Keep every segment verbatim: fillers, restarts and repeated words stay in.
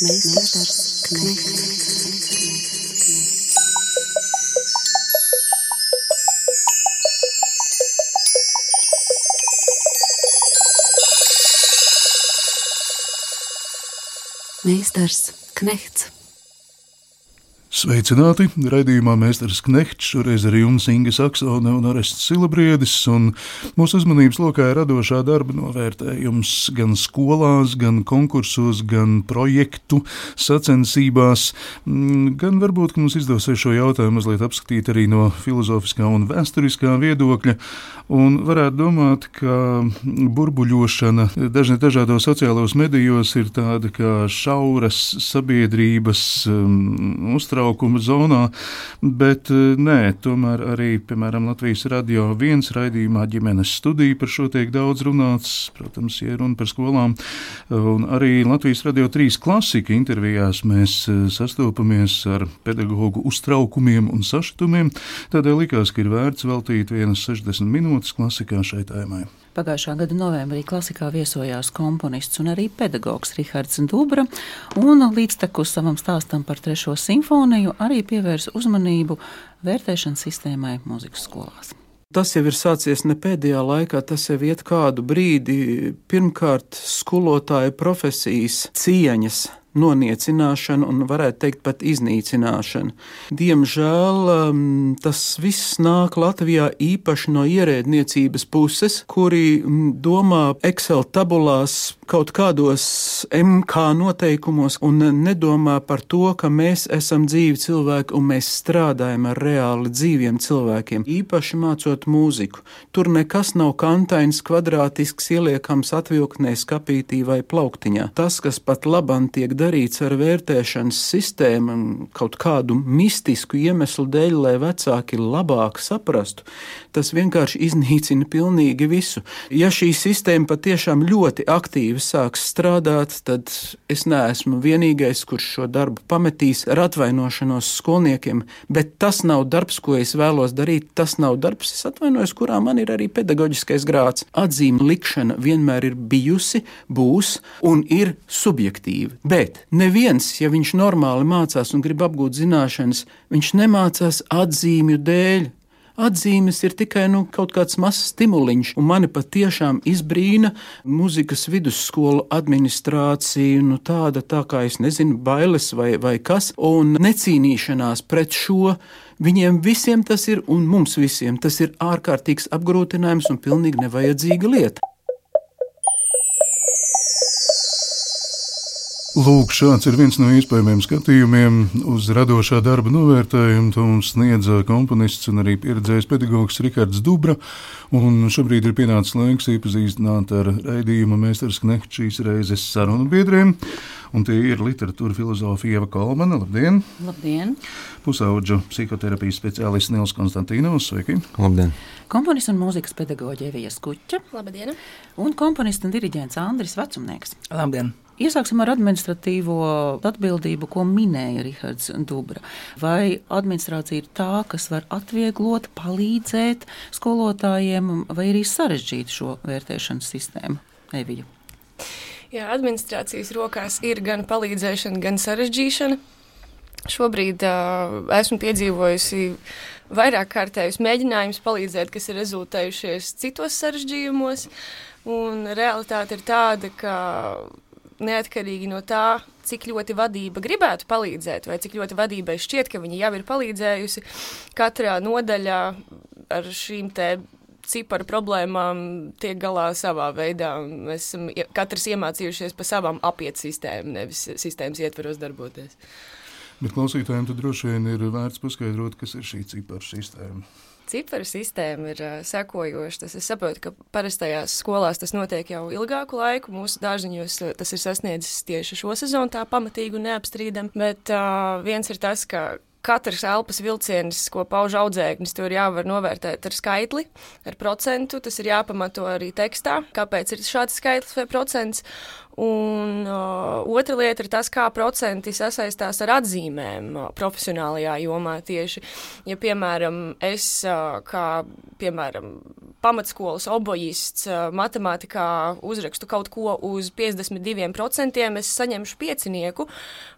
Meistars Knechts. Meistars Knechts. Sveicināti! Raidījumā Meistars Knechts, šoreiz ar jums Inga Saksone un Orests Silabriedis, un mūsu uzmanības lokā ir radošā darba novērtējums gan skolās, gan konkursos, gan projektu sacensībās, gan varbūt, ka mums izdosies šo jautājumu mazliet apskatīt arī no filozofiskā un vēsturiskā viedokļa, un varētu domāt, ka burbuļošana dažni dažādos sociālos medijos ir tāda kā šauras sabiedrības um, uztraukuma zonā, bet nē, tomēr arī, piemēram, Latvijas radio viens raidījumā ģimenes studija par šo tiek daudz runāts, protams, ja runa par skolām, un arī Latvijas radio trīs klasika intervijās mēs sastopamies ar pedagogu uztraukumiem un sašutumiem, tādēļ likās, ka ir vērts veltīt vienas sešdesmit minūtes klasikā šai tēmai. Pagājušā gada novembrī klasikā viesojās komponists un arī pedagogs Rihards Dubra, un līdztekus savam stāstam par trešo simfoniju arī pievērsa uzmanību vērtēšanas sistēmai mūzikas skolās. Tas jau ir sācies ne pēdējā laikā, tas jau iet kādu brīdi. Pirmkārt, skolotāja profesijas cieņas noniecināšana un, varētu teikt, pat iznīcināšana. Diemžēl tas viss nāk Latvijā īpaši no ierēdniecības puses, kuri domā Excel tabulās kaut kādos M K noteikumos un nedomā par to, ka mēs esam dzīvi cilvēki un mēs strādājam ar reāli dzīviem cilvēkiem, īpaši mācot mūziku. Tur nekas nav kantains, kvadrātisks, ieliekams atvilktnē, skapītī vai plauktiņā. Tas, kas pat labam tiek darīts ar vērtēšanas sistēmu kaut kādu mistisku iemeslu dēļ, lai vecāki labāk saprastu, tas vienkārši iznīcina pilnīgi visu. Ja šī sistēma patiešām ļoti aktīvi sāks strādāt, tad es neesmu vienīgais, kurš šo darbu pametīs ar atvainošanos skolniekiem, bet tas nav darbs, ko es vēlos darīt, tas nav darbs, es atvainojos, kurā man ir arī pedagoģiskais grāds. Atzīme likšana vienmēr ir bijusi, būs un ir subjektīva, bet neviens, ja viņš normāli mācās un grib apgūt zināšanas, viņš nemācās atzīmju dēļ. Atzīmes ir tikai nu, kaut kāds mazs stimuliņš, un mani patiešām izbrīna mūzikas vidusskolu administrācija, nu tāda tā kā es nezinu, bailes vai, vai kas, un necīnīšanās pret šo. Viņiem visiem tas ir, un mums visiem tas ir ārkārtīgs apgrūtinājums un pilnīgi nevajadzīga lieta. Lūk, šāds ir viens no iespējamiem skatījumiem uz radošā darba novērtējumu. To mums sniedza komponists un arī pieredzējis pedagogs Rihards Dubra. Un šobrīd ir pienācis laiks iepazīstināt ar raidījuma Meistars Knechts šīs reizes sarunu biedriem. Un tie ir literatūra filozofa Ieva Kolmana. Labdien! Labdien! Pusaudžu psihoterapijas speciālists Nils Konstantīnovs. Sveiki! Labdien! Komponists un mūzikas pedagoģe Evija Skuča. Labdien! Un komponists un diriģents Andris Vecumnieks. Labdien! Iesāksim ar administratīvo atbildību, ko minēja Rihards Dubra. Vai administrācija ir tā, kas var atvieglot, palīdzēt skolotājiem, vai arī sarežģīt šo vērtēšanas sistēmu? Evija. Jā, administrācijas rokās ir gan palīdzēšana, gan sarežģīšana. Šobrīd uh, esmu piedzīvojusi vairāk kārtējus mēģinājumus palīdzēt, kas ir rezultējušies citos sarežģījumos, un realitāte ir tāda, ka neatkarīgi no tā, cik ļoti vadība gribētu palīdzēt, vai cik ļoti vadībai šķiet, ka viņa jau ir palīdzējusi, katrā nodaļā ar šīm te ciparu problēmām tiek galā savā veidā. Mēs esam katrs iemācījušies pa savām apiet sistēmu, nevis sistēmas ietveros darboties. Bet klausītājiem tad droši vien ir vērts paskaidrot, kas ir šī ciparu sistēma. Ciparu sistēma ir uh, sekojoša. Tas es saprotu, ka parastajās skolās tas notiek jau ilgāku laiku. Mūsu dārziņos uh, tas ir sasniedzis tieši šo sezonu tā pamatīgi un neapstrīdam. Bet uh, viens ir tas, ka katrs elpas vilciens, ko pauž audzēknis, to ir jāvar novērtēt ar skaitli, ar procentu. Tas ir jāpamato arī tekstā, kāpēc ir šāds skaitlis vai procents. Un uh, otra lieta ir tas, kā procenti sasaistās ar atzīmēm uh, profesionālajā jomā tieši. Ja, piemēram, es uh, kā, piemēram, pamatskolas obojists uh, matemātikā uzrakstu kaut ko uz piecdesmit diviem procentiem, es saņemšu piecinieku,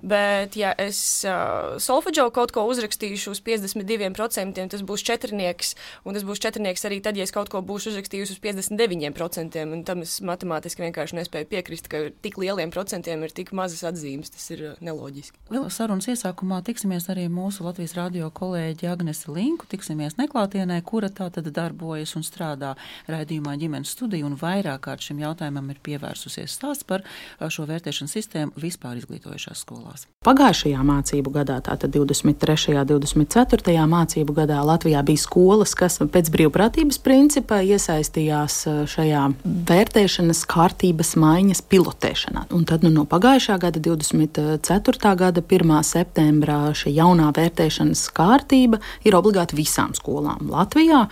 bet ja es uh, solfedžo kaut ko uzrakstīšu uz piecdesmit diviem procentiem, tas būs četrnieks, un tas būs četrnieks arī tad, ja es kaut ko būšu uzrakstījusi uz piecdesmit deviņiem procentiem, un tam es matemātiski vienkārši nespēju piekrist, ka tik lieliem procentiem ir tik mazas atzīmes, tas ir neloģiski. Vēl sarunas iesākumā tiksimies arī mūsu Latvijas radio kolēģi Agnese Linku, tiksimies neklātienē, kura tā tad darbojas un strādā raidījumā ģimenes studiju, un vairāk kārt šim jautājumam ir pievērsusies stāsts par šo vērtēšanas sistēmu vispār izglītojušās skolās. Pagājušajā mācību gadā, tātad divdesmit trešajā, divdesmit ceturtajā mācību gadā Latvijā bija skolas, kas pēc brīvprātības principa iesaistījās šajā vērtēšanas kārtības maiņas pilotēšanā. Un tad nu, no pagājušā gada divdesmit ceturtā gada pirmā septembrā šī jaunā vērtēšanas kārtība ir obligāti visām skolām Latvijā.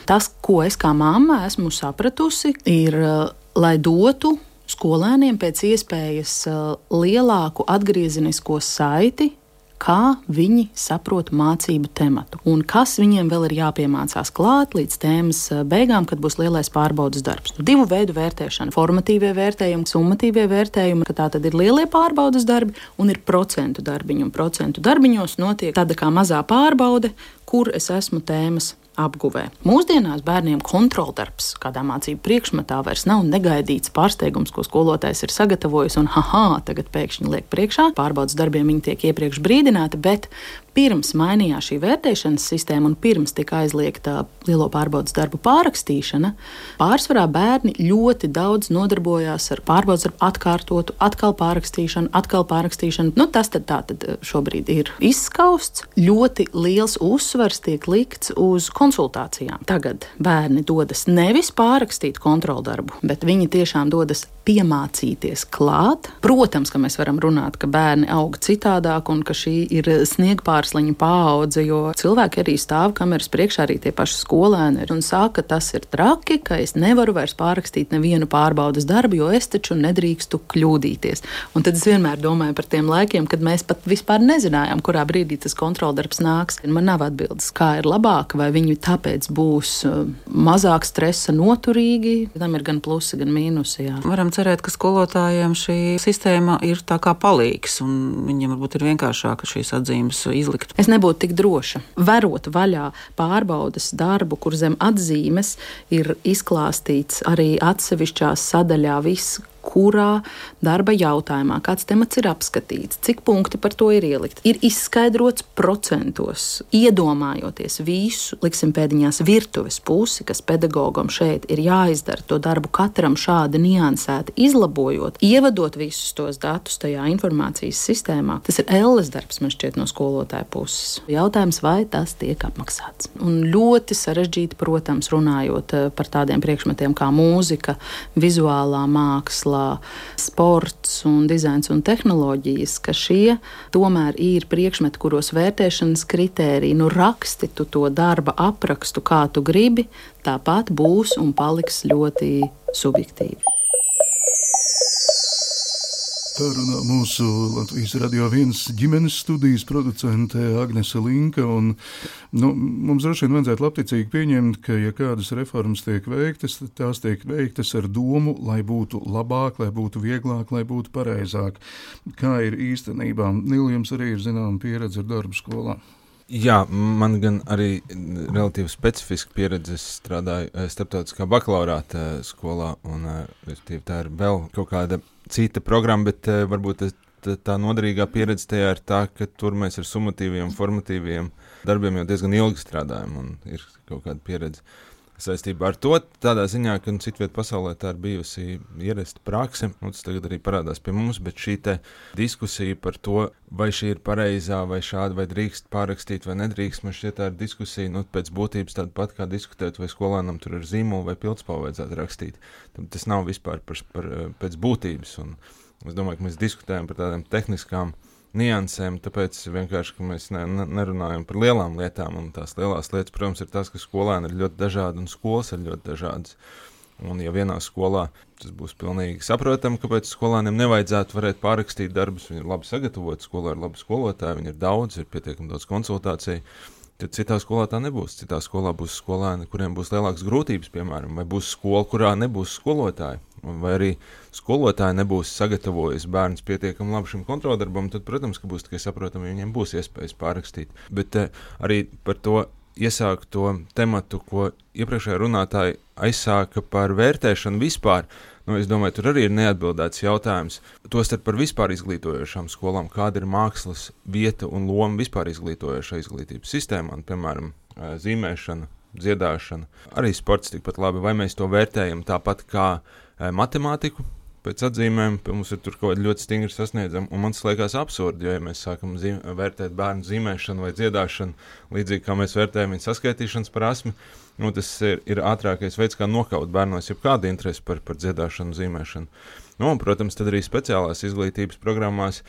Tas, ko es kā mamma esmu sapratusi, ir, lai dotu skolēniem pēc iespējas lielāku atgriezenisko saiti, kā viņi saprot mācību tematu un kas viņiem vēl ir jāpiemācās klāt līdz tēmas beigām, kad būs lielais pārbaudas darbs. Nu, divu veidu vērtēšana. Formatīvie vērtējumi, summatīvie vērtējumi, ka tā tad ir lielie pārbaudas darbi un ir procentu darbiņi. Un procentu darbiņos notiek tāda kā mazā pārbaude, kur es esmu tēmas apguvē. Mūsdienās bērniem kontroldarbs kādā mācību priekšmetā vairs nav negaidīts pārsteigums, ko skolotājs ir sagatavojis un haha, tagad pēkšņi liek priekšā. Pārbaudas darbiem viņi tiek iepriekš brīdināti, bet pirms mainījās šī vērtēšanas sistēma un pirms tika aizliegta lielo pārbaudas darbu pārrakstīšana, pārsvarā bērni ļoti daudz nodarbojās ar pārbaudas darbu atkārtotu, atkal pārrakstīšanu, atkal pārrakstīšanu. Nu, tas tad tā tad šobrīd ir izskausts. Ļoti liels uzsvars tiek likts uz konsultācijām. Tagad bērni dodas nevis pārrakstīt kontroldarbu, bet viņi tiešām dodas piemācīties klāt. Protams, ka mēs varam runāt, ka bērni aug citādāk un ka šī ir sniegpārsliņa paudze, jo cilvēki arī stāv kameras priekšā, arī tie paši skolēni un saka, ka tas ir traki, ka es nevaru vairs pārrakstīt nevienu pārbaudas darbu, jo es taču nedrīkstu kļūdīties. Un tad es vienmēr domāju par tiem laikiem, kad mēs pat vispār nezinājām, kurā brīdī tas kontroldarbs nāks. Man nav atbildes, kā ir labāk, vai viņi tāpēc būs mazāk stresa noturīgi. Tam ir gan plusi, gan mīnusi. Jā. Varam cerēt, ka skolotājiem šī sistēma ir tā kā palīgs, un viņiem varbūt ir vienkāršāk šīs atzīmes izlikt. Es nebūtu tik droša. Verot vaļā pārbaudas darbu, kur zem atzīmes ir izklāstīts arī atsevišķā sadaļā viss, kurā darba jautājumā kāds temats ir apskatīts, cik punkti par to ir ielikt. Ir izskaidrots procentos, iedomājoties visu, liksim pēdiņās virtuves pusi, kas pedagogam šeit ir jāizdara, to darbu katram šādi niansēti izlabojot, ievadot visus tos datus tajā informācijas sistēmā. Tas ir elles darbs, man šķiet, no skolotāja puses. Jautājums, vai tas tiek apmaksāts. Un ļoti sarežģīti, protams, runājot par tādiem priekšmetiem kā mūzika, vizuālā māksla, sports un dizains un tehnoloģijas, ka šie tomēr ir priekšmeti, kuros vērtēšanas kritēriji, nu raksti tu to darba aprakstu, kā tu gribi, tāpat būs un paliks ļoti subjektīvi. Tā runā mūsu Latvijas Radio viens ģimenes studijas producente Agnese Linka, un nu, mums droši vien vajadzētu labticīgi pieņemt, ka ja kādas reformas tiek veiktas, tad tās tiek veiktas ar domu, lai būtu labāk, lai būtu vieglāk, lai būtu pareizāk. Kā ir īstenībā? Nil, jums arī ir zināma pieredze ar darbu skolā. Jā, man gan arī relatīvi specifiska pieredze. Es strādāju starptautiskā bakalaurāta skolā, un tā ir vēl kaut kāda cita programma, bet uh, varbūt tā, tā noderīgā pieredze tajā ir tā, ka tur mēs ar summatīviem, formatīviem darbiem jau diezgan ilgi strādājam, un ir kaut kāda pieredze saistībā ar to. Tādā ziņā, ka citviet pasaulē tā ir bijusi ierasta prakse, un tas tagad arī parādās pie mums, bet šī te diskusija par to, vai šī ir pareizā, vai šāda, vai drīkst pārrakstīt, vai nedrīkst, man šķiet tā ir diskusija, nu, pēc būtības tāda pat kā diskutēt, vai skolēnam tur ir zīmolu vai pildspalvu vajadzētu rakstīt. Tas nav vispār par, par, pēc būtības, un es domāju, ka mēs diskutējam par tādām tehniskām niansēm, tāpēc vienkārši, ka mēs ne, ne, nerunājam par lielām lietām, un tās lielās lietas, protams, ir tas, ka skolēni ir ļoti dažādi un skolas ir ļoti dažādas. Un ja vienā skolā tas būs pilnīgi saprotami, kāpēc skolāniem nevajadzētu varēt pārrakstīt darbus, viņi ir labi sagatavoti, skolā ir labi skolotāji, viņi ir daudz, ir pietiekami daudz konsultāciju, tad citā skolā tā nebūs. Citā skolā būs skolēni, kuriem būs lielākas grūtības, piemēram, vai būs skola, kurā nebūs skolotāji, vai arī skolotāji nebūs sagatavojis bērns pietiekami labi šim kontroldarbam, tad, protams, ka būs tikai saprotami, viņiem būs iespējas pārrakstīt. Bet eh, arī par to iesākt to tematu, ko iepriekšējā runātāji aizsāka par vērtēšanu vispār. Nu, es domāju, tur arī ir neatbildēts jautājums. Tostarp par vispār izglītojošām skolām, kāda ir mākslas vieta un loma vispār izglītojošā izglītības sistēmā, piemēram, zīmēšana, dziedāšana, arī sports tikpat labi, vai mēs to vērtējam tāpat kā matemātiku, pēc atzīmēm, mums ir tur kaut kādi ļoti stingri sasniedzami, un man tas liekas absurdi, jo, ja mēs sākam zīm, vērtēt bērnu zīmēšanu vai dziedāšanu, līdzīgi kā mēs vērtējam viņa saskaitīšanas prasmi, nu, tas ir, ir ātrākais veids, kā nokaut bērnos jebkādu interesi par, par dziedāšanu, zīmēšanu. Nu, un, protams, tad arī speciālās izglītības programmās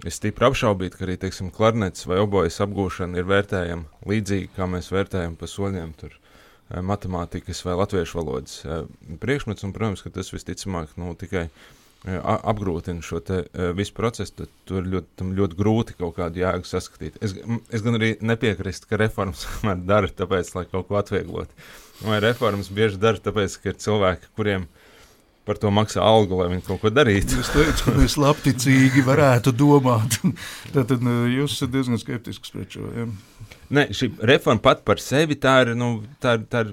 es stipri apšaubītu, ka arī, teiksim, klarnets vai obojas apgūšana ir vērtējama līdzīgi, kā mēs vērtējam pa soļiem tur matemātikas vai latviešu valodas priekšmets, un, protams, ka tas visticamāk, nu, tikai apgrūtina šo te visu procesu, tad tur ir ļoti, ļoti grūti kaut kādu jēgu saskatīt. Es, es gan arī nepiekrist, ka reformas dara tāpēc, lai kaut ko atvieglot. Vai reformas bieži dara tāpēc, ka ir cilvēki, kuriem par to maksā algu, lai viņi kaut ko darītu. Es teicu, ka mēs labticīgi varētu domāt. Tātad jūs esat diezgan skeptisks pret šo, ja? Nē, šī reforma pat par sevi, tā ir, nu, tā ir, tā ir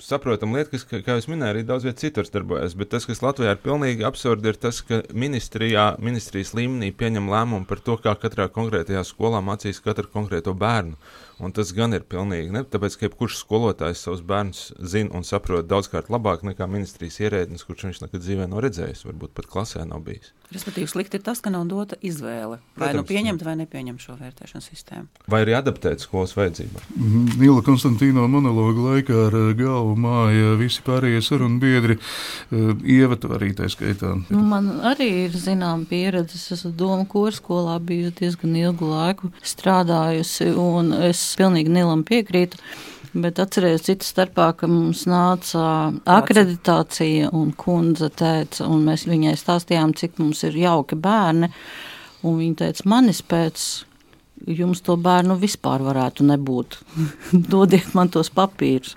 saprotama lieta, kas, kā jūs minēja, arī daudz viet citur darbojas, bet tas, kas Latvijā ir pilnīgi absurdi, ir tas, ka ministrijā, ministrijas līmenī pieņem lēmumu par to, kā katrā konkrētajā skolā mācīs katru konkrēto bērnu. Un tas gan ir pilnīgi, ne? Tāpēc, ka jebkurš skolotājs savus bērnus zina un saprot daudzkārt labāk nekā ministrijas ierēdnis, kurš viņš nekad dzīvē nav redzējis, varbūt pat klasē nav bijis. Respektīvi, slikti ir tas, ka nav dota izvēle. Vai nu pieņemt vai nepieņemt šo vērtēšanas sistēmu. Vai arī adaptēt skolas vajadzībām. Nīla Konstantīno monologa laikā ar galvu māja visi pārējie sarunu biedri, Ieva tu arī tā skaitā. Nu, man arī ir zinām pieredze, es esmu Doma korskolā, biju diezgan ilgu laiku strādājusi, un es pilnīgi Nilam piekrītu. Bet atcerējos citu starpā, ka mums nāca akreditācija un kundze teica, un mēs viņai stāstījām, cik mums ir jauki bērni, un viņa teica, manis pēc jums to bērnu vispār varētu nebūt. Dodiet man tos papīrus.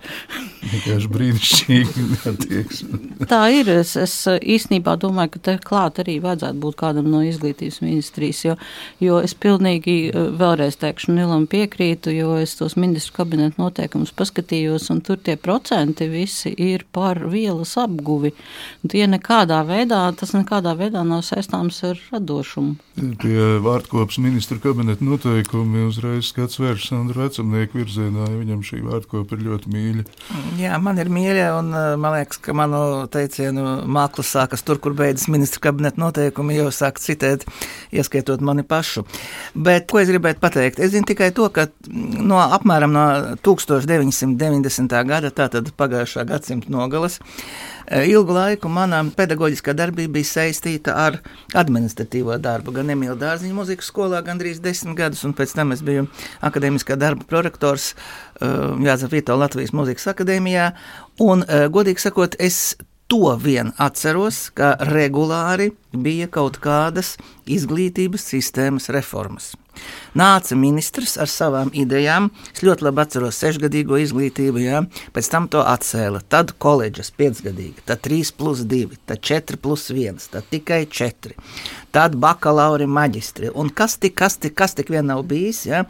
Vienkārši brīnišķīgi attieksme. Tā ir. Es, es īstenībā domāju, ka te klāt arī vajadzētu būt kādam no izglītības ministrijas, jo, jo es pilnīgi vēlreiz teikšu Nilam piekrītu, jo es tos ministru kabinetu noteikumus paskatījos, un tur tie procenti visi ir par vielas apguvi. Tie nekādā veidā, tas nekādā veidā nav saistāms ar radošumu. Pie vārdkopas ministru kabinetu noteikumi uzreiz skats vērš Sandru vecumnieku virzienā, ja viņam šī vārdkopa ir ļoti mīļa. Jā, man ir mīļa, un man liekas, ka manu teicienu māklas sākas tur, kur beidzas ministru kabineta noteikumi, jau sāk citēt, ieskaitot mani pašu. Bet, ko es gribētu pateikt? Es zinu tikai to, ka no apmēram no tūkstoš deviņsimt deviņdesmitā gada, tātad pagājušā gadsimta nogalas, ilgu laiku mana pedagoģiskā darbība bija saistīta ar administratīvo darbu. Gan Emīla Dārziņa muzikas skolā gandrīz desmit gadus, un pēc tam es biju akadēmiskā darba prorektors Jāzef Vito Latvijas muzikas akadēmijā. Un, godīgi sakot, es to vien atceros, ka regulāri bija kaut kādas izglītības sistēmas reformas. Nāca ministrs ar savām idejām, es ļoti labi atceros sešgadīgo izglītību, jā, pēc tam to atcēla, tad koledžas piecgadīga, tad trīs plus divi, tad četri plus viens, tad tikai četri, tad bakalauri maģistri, un kas tik, kas tik, kas tik vien nav bijis, jā,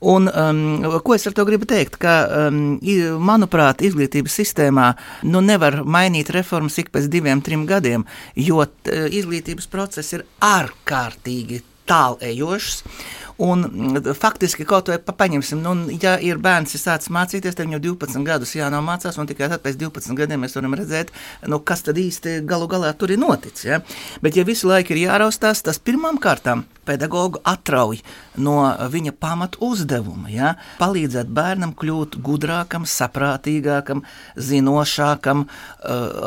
un um, ko es ar to gribu teikt, ka, um, manuprāt, izglītības sistēmā, nu nevar mainīt reformas ik pēc diviem, trim gadiem, jo t, izglītības process ir ārkārtīgi tālējošs. Un faktiski kaut vai paņemsim, nu, ja ir bērns ir sācis mācīties, tad viņam divpadsmit gadus jānāk mācās, un tikai tad pēc divpadsmit gadiem mēs varam redzēt, nu, kas tad īsti galu galā tur ir noticis. Ja? Bet ja visu laiku ir jāraustās, tas pirmām kārtām pedagogu atrauj no viņa pamatu uzdevuma, ja? Palīdzēt bērnam kļūt gudrākam, saprātīgākam, zinošākam,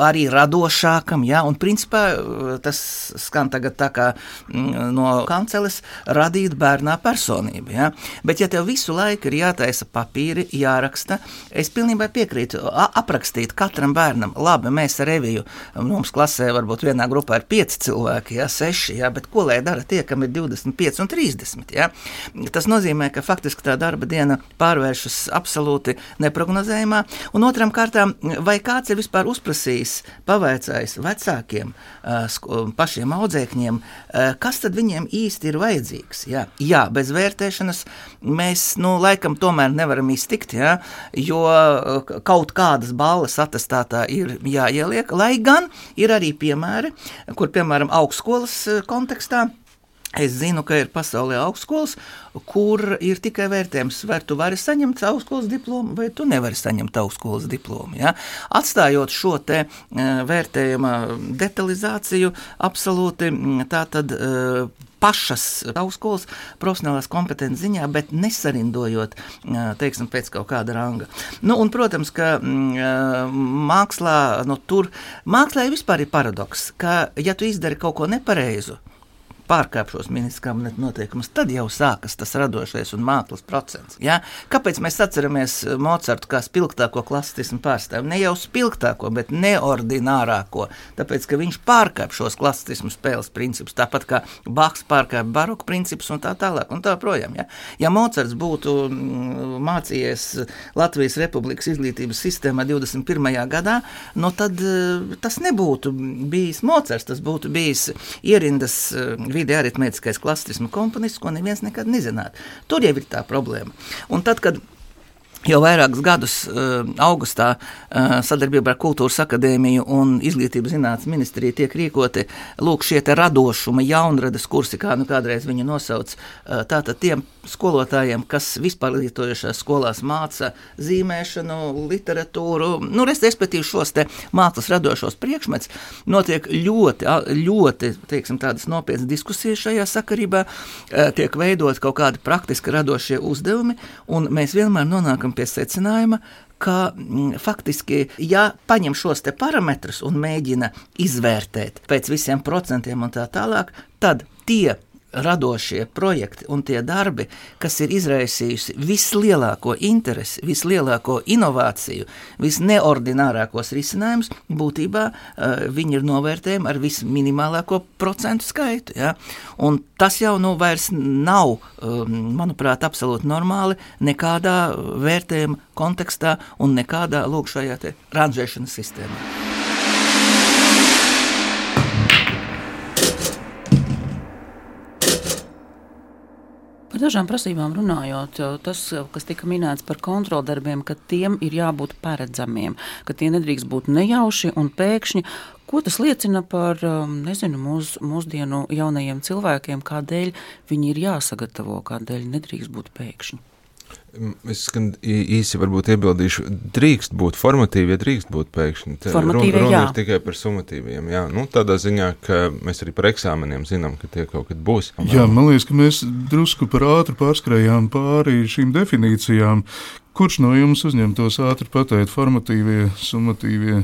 arī radošākam, ja? Un principā tas skan tagad tā kā no kanceles radīt bērnā personība. Ja? Bet, ja tev visu laiku ir jātaisa papīri, jāraksta, es pilnībā piekrītu aprakstīt katram bērnam. Labi, mēs ar Eviju, mums klasē varbūt vienā grupā ir pieci cilvēki, ja, seši, ja, bet ko lai dara tie, kam ir divdesmit pieci un trīsdesmit? Ja? Tas nozīmē, ka faktiski tā darba diena pārvēršas absolūti neprognozējumā. Un otram kārtām, vai kāds ir vispār uzprasījis, pavaicājis vecākiem, pašiem audzēkņiem, kas tad viņiem īsti ir vajadzīgs? Ja? Jā, bez vērtēšanas mēs, nu, laikam tomēr nevaram iztikt, ja? Jo kaut kādas balles atestātā ir jāieliek, lai gan ir arī piemēri, kur, piemēram, augstskolas kontekstā, es zinu, ka ir pasaulē augstskolas, kur ir tikai vērtējums, vai tu vari saņemt augstskolas diplomu, vai tu nevari saņemt augstskolas diplomu. Ja? Atstājot šo te vērtējuma detalizāciju, absolūti tā tad pašas augstskolas profesionālās kompetences ziņā, bet nesarindojot, teiksim, pēc kaut kāda ranga. Nu, un, protams, ka mākslā, nu, tur, mākslā vispār ir paradoks, ka, ja tu izdari kaut ko nepareizu, pārkāp šos ministra kabineta noteikumus, tad jau sākas tas radošais un mākslas procents. Ja? Kāpēc mēs atceramies Mocartu kā spilgtāko klasistismu pārstāvi? Ne jau spilgtāko, bet neordinārāko, tāpēc, ka viņš pārkāp šos klasistismu spēles principus, tāpat kā Bachs pārkāp baroku principus un tā tālāk un tā projām. Ja, ja Mocarts būtu mācījies Latvijas Republikas izglītības sistēmā divdesmit pirmajā gadā, no tad tas nebūtu bijis Mocarts, tas būtu bijis ierindas vidi aritmētiskais klasistismu komponists, ko neviens nekad nezinātu. Tur jau ir tā problēma. Un tad, kad jau vairākus gadus uh, augustā uh, sadarbībā ar Kultūras akadēmiju un Izglītības zinātnes ministriju tiek rīkoti lūk šie te radošuma jaunradas kursi, kā nu kādreiz viņu nosauc, uh, tātad tiem skolotājiem, kas vispārlietojušās skolās māca zīmēšanu, literatūru, nu, respektīvi šos te mākslas radošos priekšmets, notiek ļoti, ļoti, teiksim, tādas nopietnas diskusijas šajā sakarībā, uh, tiek veidot kaut kādi praktiski radošie uzdevumi, un mēs vienmēr nonākam pie secinājuma, ka m, faktiski, ja paņem šos te parametrus un mēģina izvērtēt pēc visiem procentiem un tā tālāk, tad tie radošie projekti un tie darbi, kas ir izraisījusi vislielāko interesi, vislielāko inovāciju, visneordinārākos risinājumus, būtībā uh, viņi ir novērtējumi ar visminimālāko procentu skaitu. Ja? Un tas jau nu vairs nav, um, manuprāt, absolūti normāli nekādā vērtējuma kontekstā un nekādā lūk šajā te ranžēšanas sistēmā. Par dažām prasībām runājot, tas, kas tika minēts par kontroldarbiem, ka tiem ir jābūt paredzamiem, ka tie nedrīkst būt nejauši un pēkšņi. Ko tas liecina par, nezinu, mūs, mūsdienu jaunajiem cilvēkiem, kādēļ viņi ir jāsagatavo, kādēļ nedrīkst būt pēkšņi? Es gan īsi varbūt iebildīšu, drīkst būt formatīvi, ja drīkst būt pēkšņi. Formatīvi, runa, runa jā. ir tikai par summatīviem, jā. Nu, tādā ziņā, ka mēs arī par eksāmeniem zinām, ka tie kaut kad būs. Jā, man liekas, ka mēs drusku par ātri pārskrējām pāri šīm definīcijām. Kurš no jums uzņemtos ātri pateikt formatīvie, summatīvie?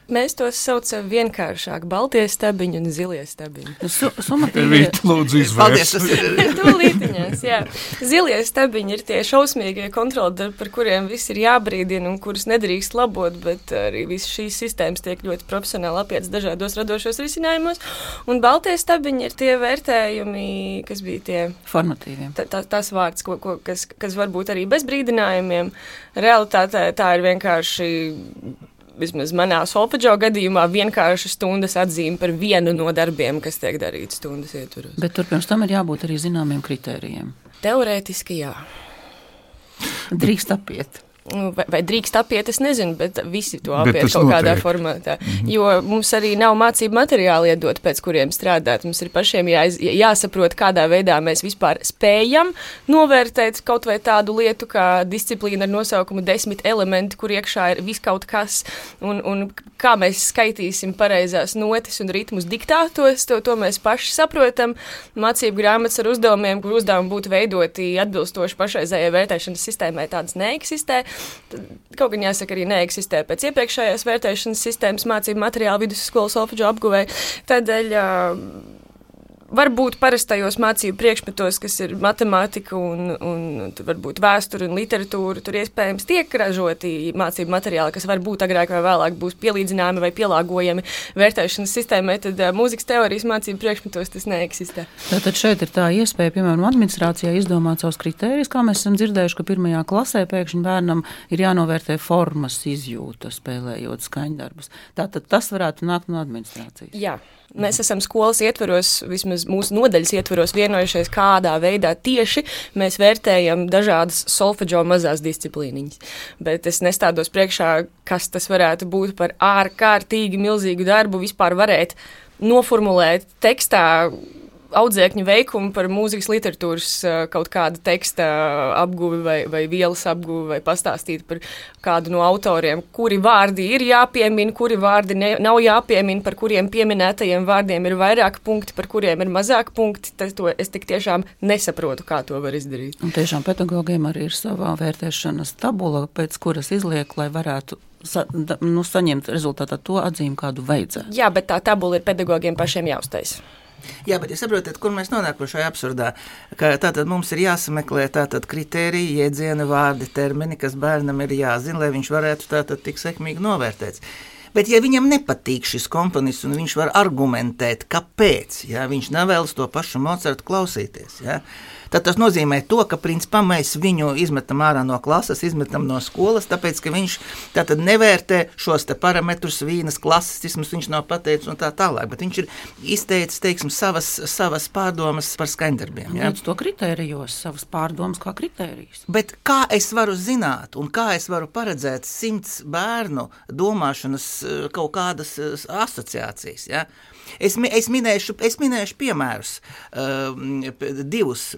Mēs tos saucam vienkāršāk – baltie stabiņi un zilie stabiņi. Su, summatīvie... Rīt, lūdzu, izvērst. Tūlītiņās, jā. Zilie stabiņi ir tie šausmīgie kontroldarbi, par kuriem viss ir jābrīdina un kurus nedrīkst labot, bet arī visas šīs sistēmas tiek ļoti profesionāli apietas dažādos radošos risinājumos. Un baltie stabiņi ir tie vērtējumi, kas bija tie... Formatīviem. Tā, tā, tās vārds, ko, ko, kas, kas varbūt arī bez brīdinājumiem. Realitātē tā ir vienkārši... Vismaz manā solfeģo gadījumā vienkārši stundas atzīme par vienu no darbiem, kas tiek darīts stundas ietvaros. Bet tur pirms tam ir jābūt arī zināmiem kritērijiem. Teorētiski jā. Drīkst apiet. Vai, vai drīkst apiet, es nezinu, bet visi to apiet kaut kādā notiek. formātā. Mm-hmm. Jo mums arī nav mācību materiāli iedot, pēc kuriem strādāt. Mums ir pašiem jā, jāsaprot, kādā veidā mēs vispār spējam novērtēt kaut vai tādu lietu kā disciplīna ar nosaukumu desmit elementi, kur iekšā ir viskaut kas, un, un kā mēs skaitīsim pareizās notis un ritmus diktātos, to, to mēs paši saprotam. Mācību grāmatas ar uzdevumiem, kur uzdevumi būtu veidoti atbilstoši pašreizējai vērtēšanas sistēmai, tādas neeksistē. Kaut gan jāsaka, arī neeksistē pēc iepriekšējās vērtēšanas sistēmas mācību materiālu vidusskolas solfeģo apguvē. Tādēļ varbūt parastajos mācību priekšmetos, kas ir matemātika un, un varbūt vēsture un literatūra, tur iespējams tiek ražoti mācību materiāli, kas varbūt agrāk vai vēlāk būs pielīdzināmi vai pielāgojami vērtēšanas sistēmai, tad uh, mūzikas teorijas mācību priekšmetos tas neeksistē. Tātad šeit ir tā iespēja, piemēram, administrācijā izdomāt savus kritērijus, kā mēs esam dzirdējuši, ka pirmajā klasē pēkšņi bērnam ir jānovērtē formas izjūta, spēlējot skaņdarbus. Tātad tas varētu nākt no administrācijas. Jā. Mēs esam skolas ietveros, vismaz mūsu nodaļas ietveros vienojušies, kādā veidā tieši mēs vērtējam dažādas solfeģo mazās disciplīniņas. Bet es nestādos priekšā, kas tas varētu būt par ārkārtīgi milzīgu darbu vispār varēt noformulēt tekstā audzēkņu veikumu par mūzikas literatūras kaut kāda teksta apguvi vai, vai vielas apguvi vai pastāstīt par kādu no autoriem, kuri vārdi ir jāpiemina, kuri vārdi ne, nav jāpiemina, par kuriem pieminētajiem vārdiem ir vairāk punkti, par kuriem ir mazāk punkti. Tas, to es tik tiešām nesaprotu, kā to var izdarīt. Un tiešām pedagogiem arī ir savā vērtēšanas tabula, pēc kuras izliek, lai varētu sa, da, nu, saņemt rezultātā to atzīmi, kādu vajadzētu. Jā, bet tā tabula ir pedagogiem pašiem jāuztais. Jā, bet jūs saprotat, kur mēs nonākam šajā absurdā, ka tātad mums ir jāsameklē tātad kritēriji, jēdzieni, vārdi, termini, kas bērnam ir jāzina, lai viņš varētu tātad tik sekmīgi novērtēts. Bet ja viņam nepatīk šis komponists un viņš var argumentēt, kāpēc, ja, viņš nevēlas to pašu Mocartu klausīties, ja, tad tas nozīmē to, ka principā mēs viņu izmetam ārā no klases, izmetam no skolas, tāpēc, ka viņš tātad nevērtē šos te parametrus, vīnas klasistismus, viņš nav pateicis un tā tālāk, bet viņš ir izteicis, teiksim, savas, savas pārdomas par skaņdarbiem. Ja? Līdz to kritērijos, savas pārdomas kā kritērijas. Bet kā es varu zināt un kā es varu paredzēt simts bērnu domāšanas kaut kādas asociācijas, ja? Es, es, minēšu, es minēšu piemērus, uh, divus,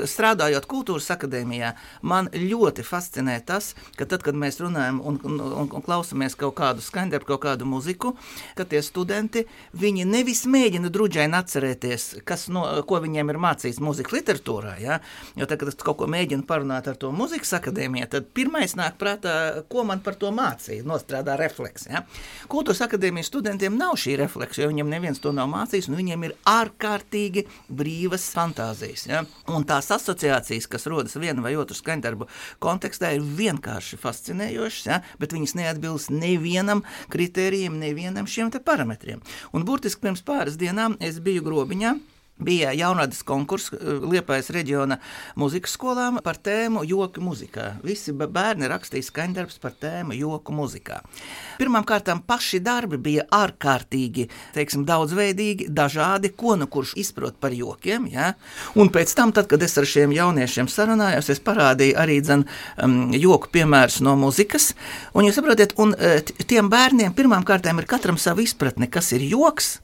strādājot kultūras akadēmijā, man ļoti fascinē tas, ka tad, kad mēs runājam un, un, un, un klausamies kaut kādu skaņdarbu, kaut kādu muziku, ka tie studenti, viņi nevis mēģina druģaini atcerēties, kas no, ko viņiem ir mācījis mūzikas literatūrā, ja? Jo tad, kad es kaut ko mēģinu parunāt ar to mūzikas akadēmijā, tad pirmais nāk prātā, ko man par to mācīja, nostrādā refleks. Ja? Kultūras akadēmijas studentiem nav šī refleks, jo viņiem neviens to nav mācījis, un viņiem ir ārkārtīgi brīvas fantāzijas. Ja? Un tās asociācijas, kas rodas vienu vai otru skaņdarbu kontekstā, ir vienkārši fascinējošas, ja? Bet viņas neatbilst nevienam kritērijiem, nevienam šiem te parametriem. Un burtiski pirms pāris dienām es biju Grobiņā, bija jaunradas konkurss Liepājas reģiona muzikas skolām par tēmu joku muzikā. Visi bērni rakstīja skaņdarbs par tēmu joku muzikā. Pirmām kārtām paši darbi bija ārkārtīgi, teiksim, daudzveidīgi, dažādi, ko nu kurš izprot par jokiem, ja? Un pēc tam, tad, kad es ar šiem jauniešiem sarunājos, es parādīju arī dzen um, joku piemērus no muzikas, un jūs saprotiet, un tiem bērniem pirmām kārtām ir katram savu izpratni, kas ir joks.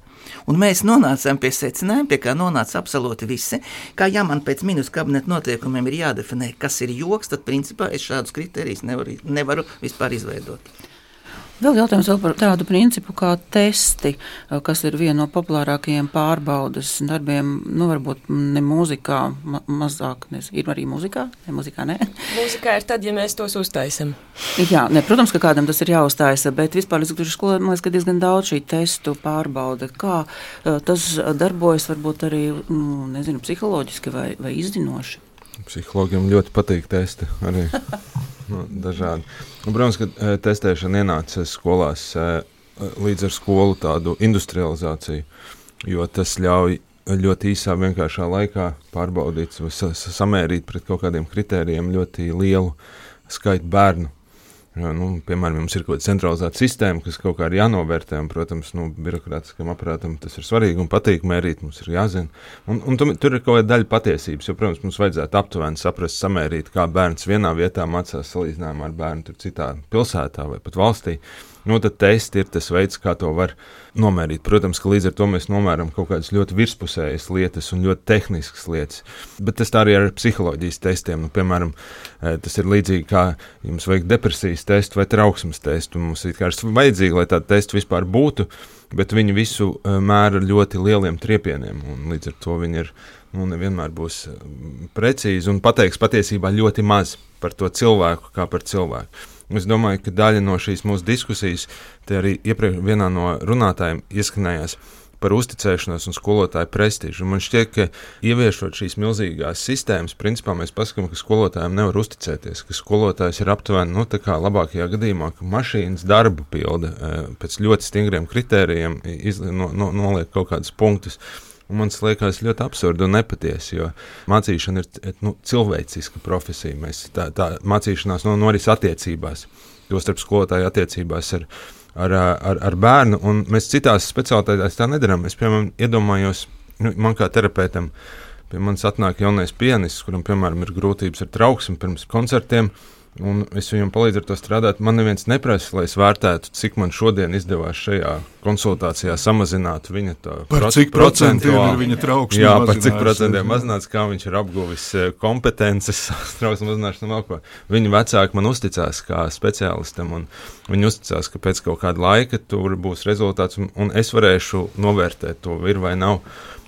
Un mēs nonācām pie secinājuma, pie kā nonāca absolūti visi, kā ja man pēc minus kabineta noteikumiem ir jādefinē, kas ir joks, tad principā es šādus kritērijus nevaru, nevaru vispār izveidot. Vēl jautājums vēl par tādu principu kā testi, kas ir viena no populārākajiem pārbaudas darbiem, nu varbūt ne mūzikā, ma- mazāk, nes, ir arī mūzikā, ne mūzikā, ne? Mūzikā ir tad, ja mēs tos uztaisam. Jā, ne, protams, ka kādam tas ir jāuzstājas, bet vispār izglītības skolā, man liekas, ka diezgan daudz šī testu pārbauda. Kā tas darbojas varbūt arī, nu, nezinu, psiholoģiski vai, vai izzinoši? Psihologiem ļoti patīk testi arī. Nu, dažādi. Un, protams, ka testēšana ienāca skolās līdz ar skolu tādu industrializāciju, jo tas ļauj ļoti īsā vienkāršā laikā pārbaudīt, samērīt pret kaut kādiem kritērijiem ļoti lielu skaitu bērnu. Jā, nu, piemēram, mums ir kaut kāda centralizēta sistēma, kas kaut kā ir jānovērtē, un, protams, nu, birokrātiskam aparātam tas ir svarīgi un patīk mērīt, mums ir jāzina. Un, un tu, tur ir kaut kāda daļa patiesības, jo, protams, mums vajadzētu aptuveni saprast, samērīt, kā bērns vienā vietā mācās salīdzinājumā ar bērnu tur citā pilsētā vai pat valstī. Nu, tad testi ir tas veids, kā to var nomērīt. Protams, ka līdz ar to mēs nomēram kaut kādas ļoti virspusējas lietas un ļoti tehniskas lietas. Bet tas tā arī ar psiholoģijas testiem. Nu, piemēram, tas ir līdzīgi kā jums vajag depresijas testu vai trauksmes testu. Mums ir vajadzīgi, lai tādi testi vispār būtu, bet viņi visu mēra ļoti lieliem triepieniem. Un līdz ar to viņi ir, nu, nevienmēr būs precīzi un pateiks patiesībā ļoti maz par to cilvēku kā par cilvēku. Es domāju, ka daļa no šīs mūsu diskusijas, te arī iepriekš vienā no runātājiem ieskanējās, par uzticēšanos un skolotāju prestižu. Un man šķiet, ka ieviešot šīs milzīgās sistēmas, principā mēs paskatām, ka skolotājiem nevar uzticēties, ka skolotājs ir aptuveni, nu, tā kā labākajā gadījumā, ka mašīnas darbu pilda pēc ļoti stingriem kritērijiem, iz, no, no, noliek kaut kādus punktus. Un man liekas ļoti absurdi un nepatiesi, jo mācīšana ir nu, cilvēciska profesija. Mēs tā, tā mācīšanās no, noris attiecībās, jo starp skolotāju attiecībās ar, ar, ar, ar bērnu, un mēs citās specialitātēs tā nedarām. Es, piemēram, iedomājos, nu, man kā terapeitam, pie manis atnāk jaunais pianists, kuram, piemēram, ir grūtības ar trauksmi pirms koncertiem, un es viņam palīdzu ar to strādāt. Man neviens neprasa, lai es vērtētu, cik man šodien izdevās šajā konsultācijā samazināt viņa to par cik procentiem ir viņa trauksme jā, par cik procentiem mazināts, kā viņš ir apguvis kompetences, trauksme mazināšanu vēl ko. Viņa vecāki man uzticās kā speciālistam, un viņi uzticās, ka pēc kaut kāda laika tur būs rezultāts, un, un es varēšu novērtēt to, ir vai nav.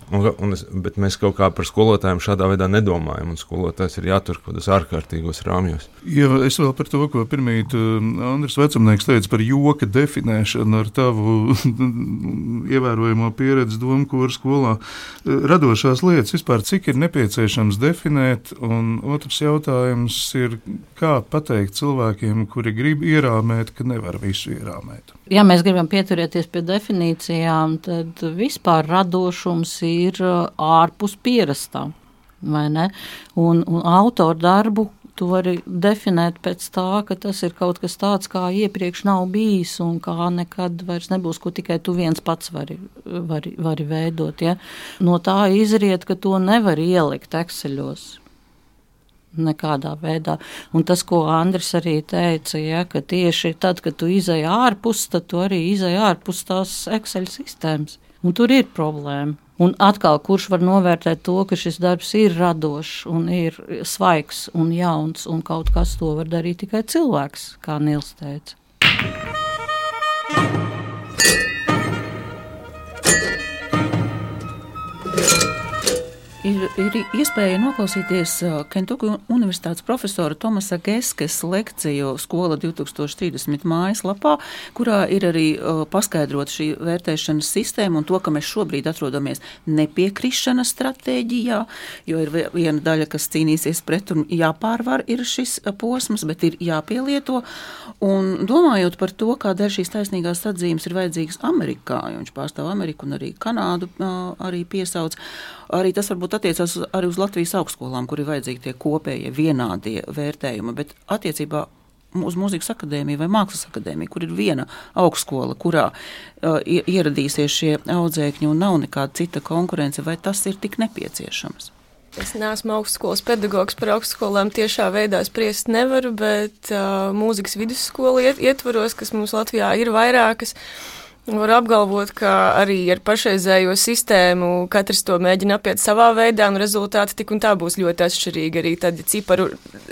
Un, un es, bet mēs kaut kā par skolotājiem šādā veidā nedomājam, un skolotājs ir jātur kaut kādos ārkārtīgos rāmjos. Ja es vēl par to, ko pirmīt Andris Vecumnieks teica par joka definēšanu ar tavu ievērojamo pieredzi domkora skolā, radošās lietas vispār, cik ir nepieciešams definēt, un otrs jautājums ir, kā pateikt cilvēkiem, kuri grib ierāmēt, ka nevar visu ierāmēt. Ja mēs gribam pieturēties pie definīcijām, tad vispār radošums ir ārpus pierastā, vai ne? Un, un autoru darbu tu vari definēt pēc tā, ka tas ir kaut kas tāds, kā iepriekš nav bijis un kā nekad vairs nebūs, ko tikai tu viens pats vari, vari, vari veidot. Ja? No tā izriet, ka to nevar ielikt Exceļos. Nekādā veidā. Un tas, ko Andris arī teica, ja, ka tieši tad, kad tu izej ārpus, tad tu arī izej ārpus tās Excel sistēmas. Un tur ir problēma. Un atkal, kurš var novērtēt to, ka šis darbs ir radošs un ir svaigs un jauns, un kaut kas to var darīt tikai cilvēks, kā Nils teica. Ir, ir iespēja noklausīties Kentucky Universitātes profesora Tomasa Geskes lekciju Skola divtūkstoš trīsdesmit mājaslapā, kurā ir arī uh, paskaidrot šī vērtēšanas sistēma un to, ka mēs šobrīd atrodamies nepiekrišanas stratēģijā, jo ir viena daļa, kas cīnīsies pret un jāpārvar ir šis posms, bet ir jāpielieto. Un domājot par to, kādēļ šīs taisnīgās atzīmes ir vajadzīgas Amerikā, jo viņš pārstāv Ameriku un arī Kanādu uh, arī piesauc, arī tas varbūt attiecās arī uz Latvijas augstskolām, kur ir vajadzīgi tie kopējie vienādie vērtējumi, bet attiecībā uz Mūzikas akadēmiju vai Mākslas akadēmiju, kur ir viena augstskola, kurā uh, ieradīsies šie audzēkņi un nav nekāda cita konkurence, vai tas ir tik nepieciešams? Es neesmu augstskolas pedagogs, par augstskolām tiešā veidā spriest nevaru, bet uh, mūzikas vidusskola iet, ietvaros, kas mums Latvijā ir vairākas, var apgalvot, ka arī ar pašreizējo sistēmu katrs to mēģina apiet savā veidā, un rezultāti tik un tā būs ļoti atšķirīgi. Arī tad, ja ciparu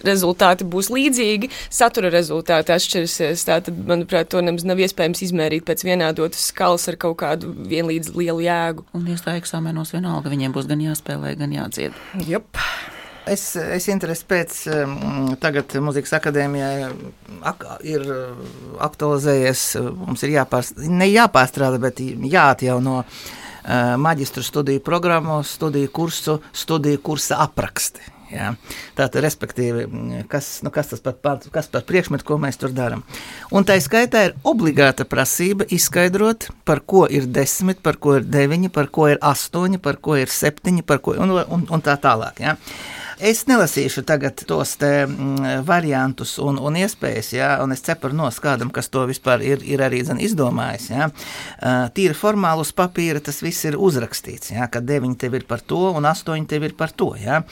rezultāti būs līdzīgi, satura rezultāti atšķirsies. Tātad, manuprāt, to nemaz nav iespējams izmērīt pēc vienādotas skalas ar kaut kādu vienlīdz lielu jēgu. Un iestāja eksāmenos vienalga, viņiem būs gan jāspēlē, gan jādzied. Jop. Es, es interesi pēc tagad Mūzikas akadēmijā ak, ir aktualizējies, mums ir jāpārstrādā, ne jāpārstrādā, bet jāatjauno maģistru studiju programmu, studiju kursu, studiju kursa apraksti. Jā. Tātad, respektīvi, kas, nu, kas tas par, kas par priekšmetu, ko mēs tur darām. Un tā skaitā ir obligāta prasība izskaidrot, par ko ir desmit, par ko ir deviņi, par ko ir astoņi, par ko ir septiņi, par ko, un, un, un tā tālāk. Jā. Es nelasīšu tagad tos te mm, variantus un, un iespējas, jā, un es ceparu nos kādam, kas to vispār ir, ir arī zin, izdomājis. Jā. Uh, tīri formāli uz papīra tas viss ir uzrakstīts, jā, ka deviņi tev ir par to un astoņi tev ir par to. Jā.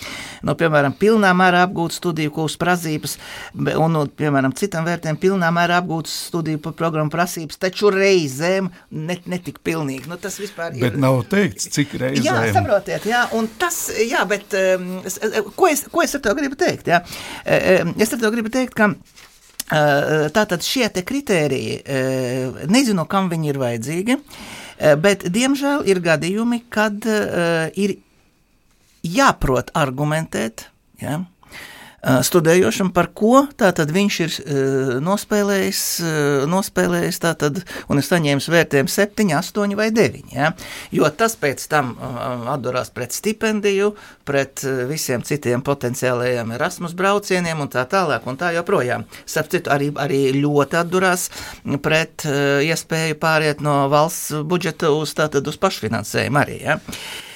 Nu, piemēram, pilnā mērā apgūt studiju kursu prasības, un, un, piemēram, citam vērtēm pilnā mērā apgūt studiju programmu prasības, taču reizēm net, netik pilnīgi. Nu, tas vispār ir. Bet nav teikts, cik reizēm. Jā, saprotiet, jā, un tas, jā, bet... Um, Ko es, ko es ar to gribu teikt? Ja? Es ar to gribu teikt, ka tātad šie te kritēriji, nezinu, kam viņi ir vajadzīgi, bet, diemžēl, ir gadījumi, kad ir jāprot argumentēt, ja? studējošam, par ko tātad viņš ir nospēlējis, nospēlējis tātad, un ir saņēmis vērtējumu septiņi, astoņi vai deviņi, ja? Jo tas pēc tam atdurās pret stipendiju, pret visiem citiem potenciālajiem Erasmus braucieniem un tā tālāk un tā joprojām. Starp citu, arī, arī ļoti atdurās pret iespēju pāriet no valsts budžeta uz tātad uz pašfinansējumu arī, ja?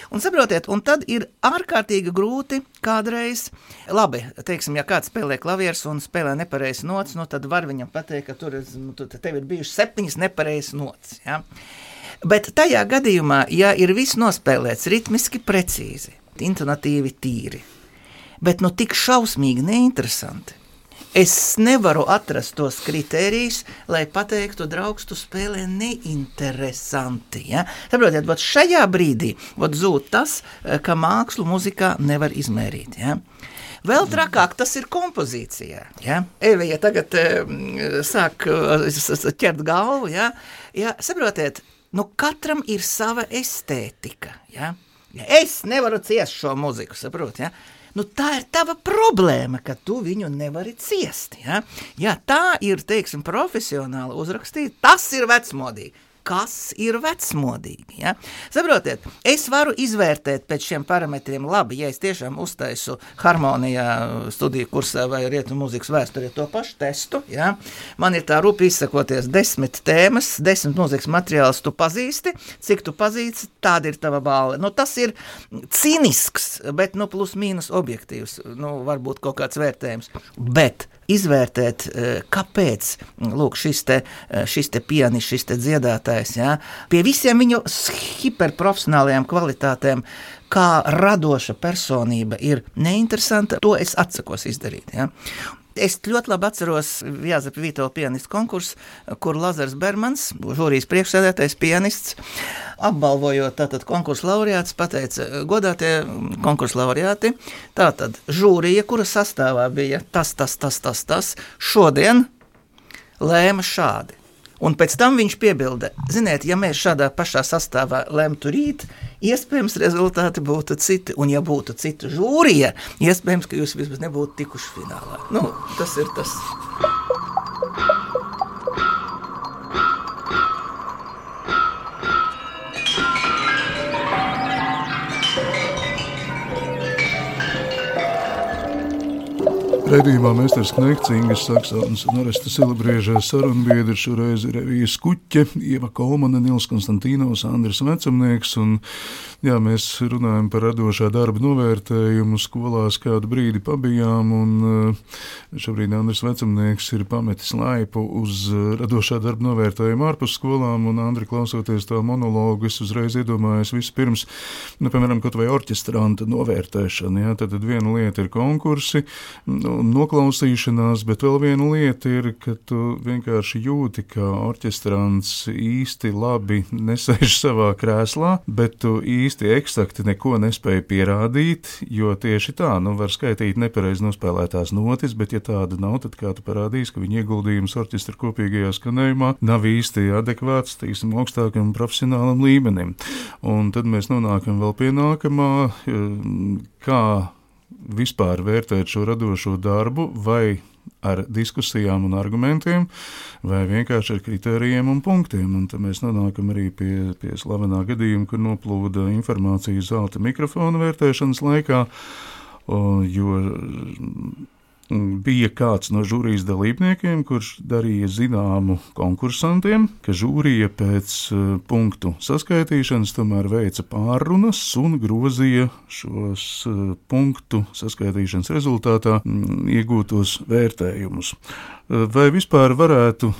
Un saprotiet, un tad ir ārkārtīgi grūti kādreiz, labi, teiksim, ja kāds spēlē klavieres un spēlē nepareizes nots, nu tad var viņam pateikt, ka tur nu, tev ir bijušas septiņas nepareizes nots, ja? Bet tajā gadījumā, ja ir viss nospēlēts ritmiski precīzi, intonatīvi tīri, bet nu tik šausmīgi neinteresanti, es nevaru atrast tos kritērijus, lai pateiktu, draugs, tu spēlē neinteresanti. Ja? Saprotiet, vat šajā brīdī vat zūd tas, ka mākslu muzikā nevar izmērīt. Ja? Vēl trakāk tas ir kompozīcijā. Ja? Evija tagad e, sāk ķert galvu. Ja? Ja, saprotiet, nu katram ir sava estētika. Ja? Ja es nevaru ciest šo muziku, saprot, ja? Nu, tā ir tava problēma, ka tu viņu nevari ciest. Ja, ja tā ir, teiksim, profesionāli uzrakstīt, tas ir vecmodīgi. Kas ir vecmodīgi? Ja? Saprotiet, es varu izvērtēt pēc šiem parametriem labi, ja es tiešām uztaisu harmonijā studiju kursā vai rietumu mūzikas vēsturē to pašu testu. Ja? Man ir tā rupi izsakoties desmit tēmas, desmit mūzikas materiālus tu pazīsti, cik tu pazīsti, tāda ir tava balva. Nu, tas ir cīnisks, bet nu, plus mīnus objektīvs, nu, varbūt kaut kāds vērtējums, bet izvērtēt, kāpēc lūk, šis te, šis te pianis, šis te dziedātājs, ja, pie visiem viņu hiperprofesionālajām kvalitātēm, kā radoša personība ir neinteresanta, to es atsakos izdarīt. Ja. Es ļoti labi atceros Jāzepa Vītola pianistu konkursu, kur Lazars Bermans, žūrijas priekšsēdētais pianists, apbalvojot tātad konkursu laureāts, pateica, godātie konkursu laureāti, tātad žūrija, kura sastāvā bija tas, tas, tas, tas, tas, šodien lēma šādi. Un pēc tam viņš piebilda, ziniet, ja mēs šādā pašā sastāvā lemtu rīt, iespējams rezultāti būtu citi, un ja būtu cita žūrija, iespējams, ka jūs vismaz nebūtu tikuši finālā. Nu, tas ir tas. Raidījumā Meistars Knekts, Ingas Saksātnes un Aresta Silabrieža sarunbiedri šoreiz ir Evija Skuķe, Ieva Kolmane, Nils Konstantīnovs, Andris Vecumnieks, un jā, mēs runājam par radošā darba novērtējumu, skolās kādu brīdi pabijām, un šobrīd Andris Vecumnieks ir pametis laipu uz radošā darba novērtējumu ārpus skolām, un Andri, klausoties tā monologu, es uzreiz iedomājos vispirms, nu, piemēram, kaut vai orķestranta novērtēšana, jā, tad viena lieta ir konkursi, noklausīšanās, bet vēl viena lieta ir, ka tu vienkārši jūti, ka orķestrants īsti labi nesēž savā krēslā, bet tu īsti eksakti neko nespēja pierādīt, jo tieši tā, nu var skaitīt nepareizi nospēlētās notis, bet ja tāda nav, tad kā tu parādīs, ka viņa ieguldījums orķestra kopīgajā skanējumā nav īsti adekvāts, tīsim, augstākam profesionālam līmenim. Un tad mēs nonākam vēl pie nākamā, kā vispār vērtēt šo radošo darbu, vai ar diskusijām un argumentiem, vai vienkārši ar kritērijiem un punktiem. Un tad mēs nonākam arī pie, pie slavenā gadījuma, kur noplūda informācija zelta mikrofona vērtēšanas laikā, jo bija kāds no žūrijas dalībniekiem, kurš darīja zināmu konkursantiem, ka žūrija pēc punktu saskaitīšanas tomēr veica pārrunas un grozīja šos punktu saskaitīšanas rezultātā iegūtos vērtējumus. Vai vispār varētu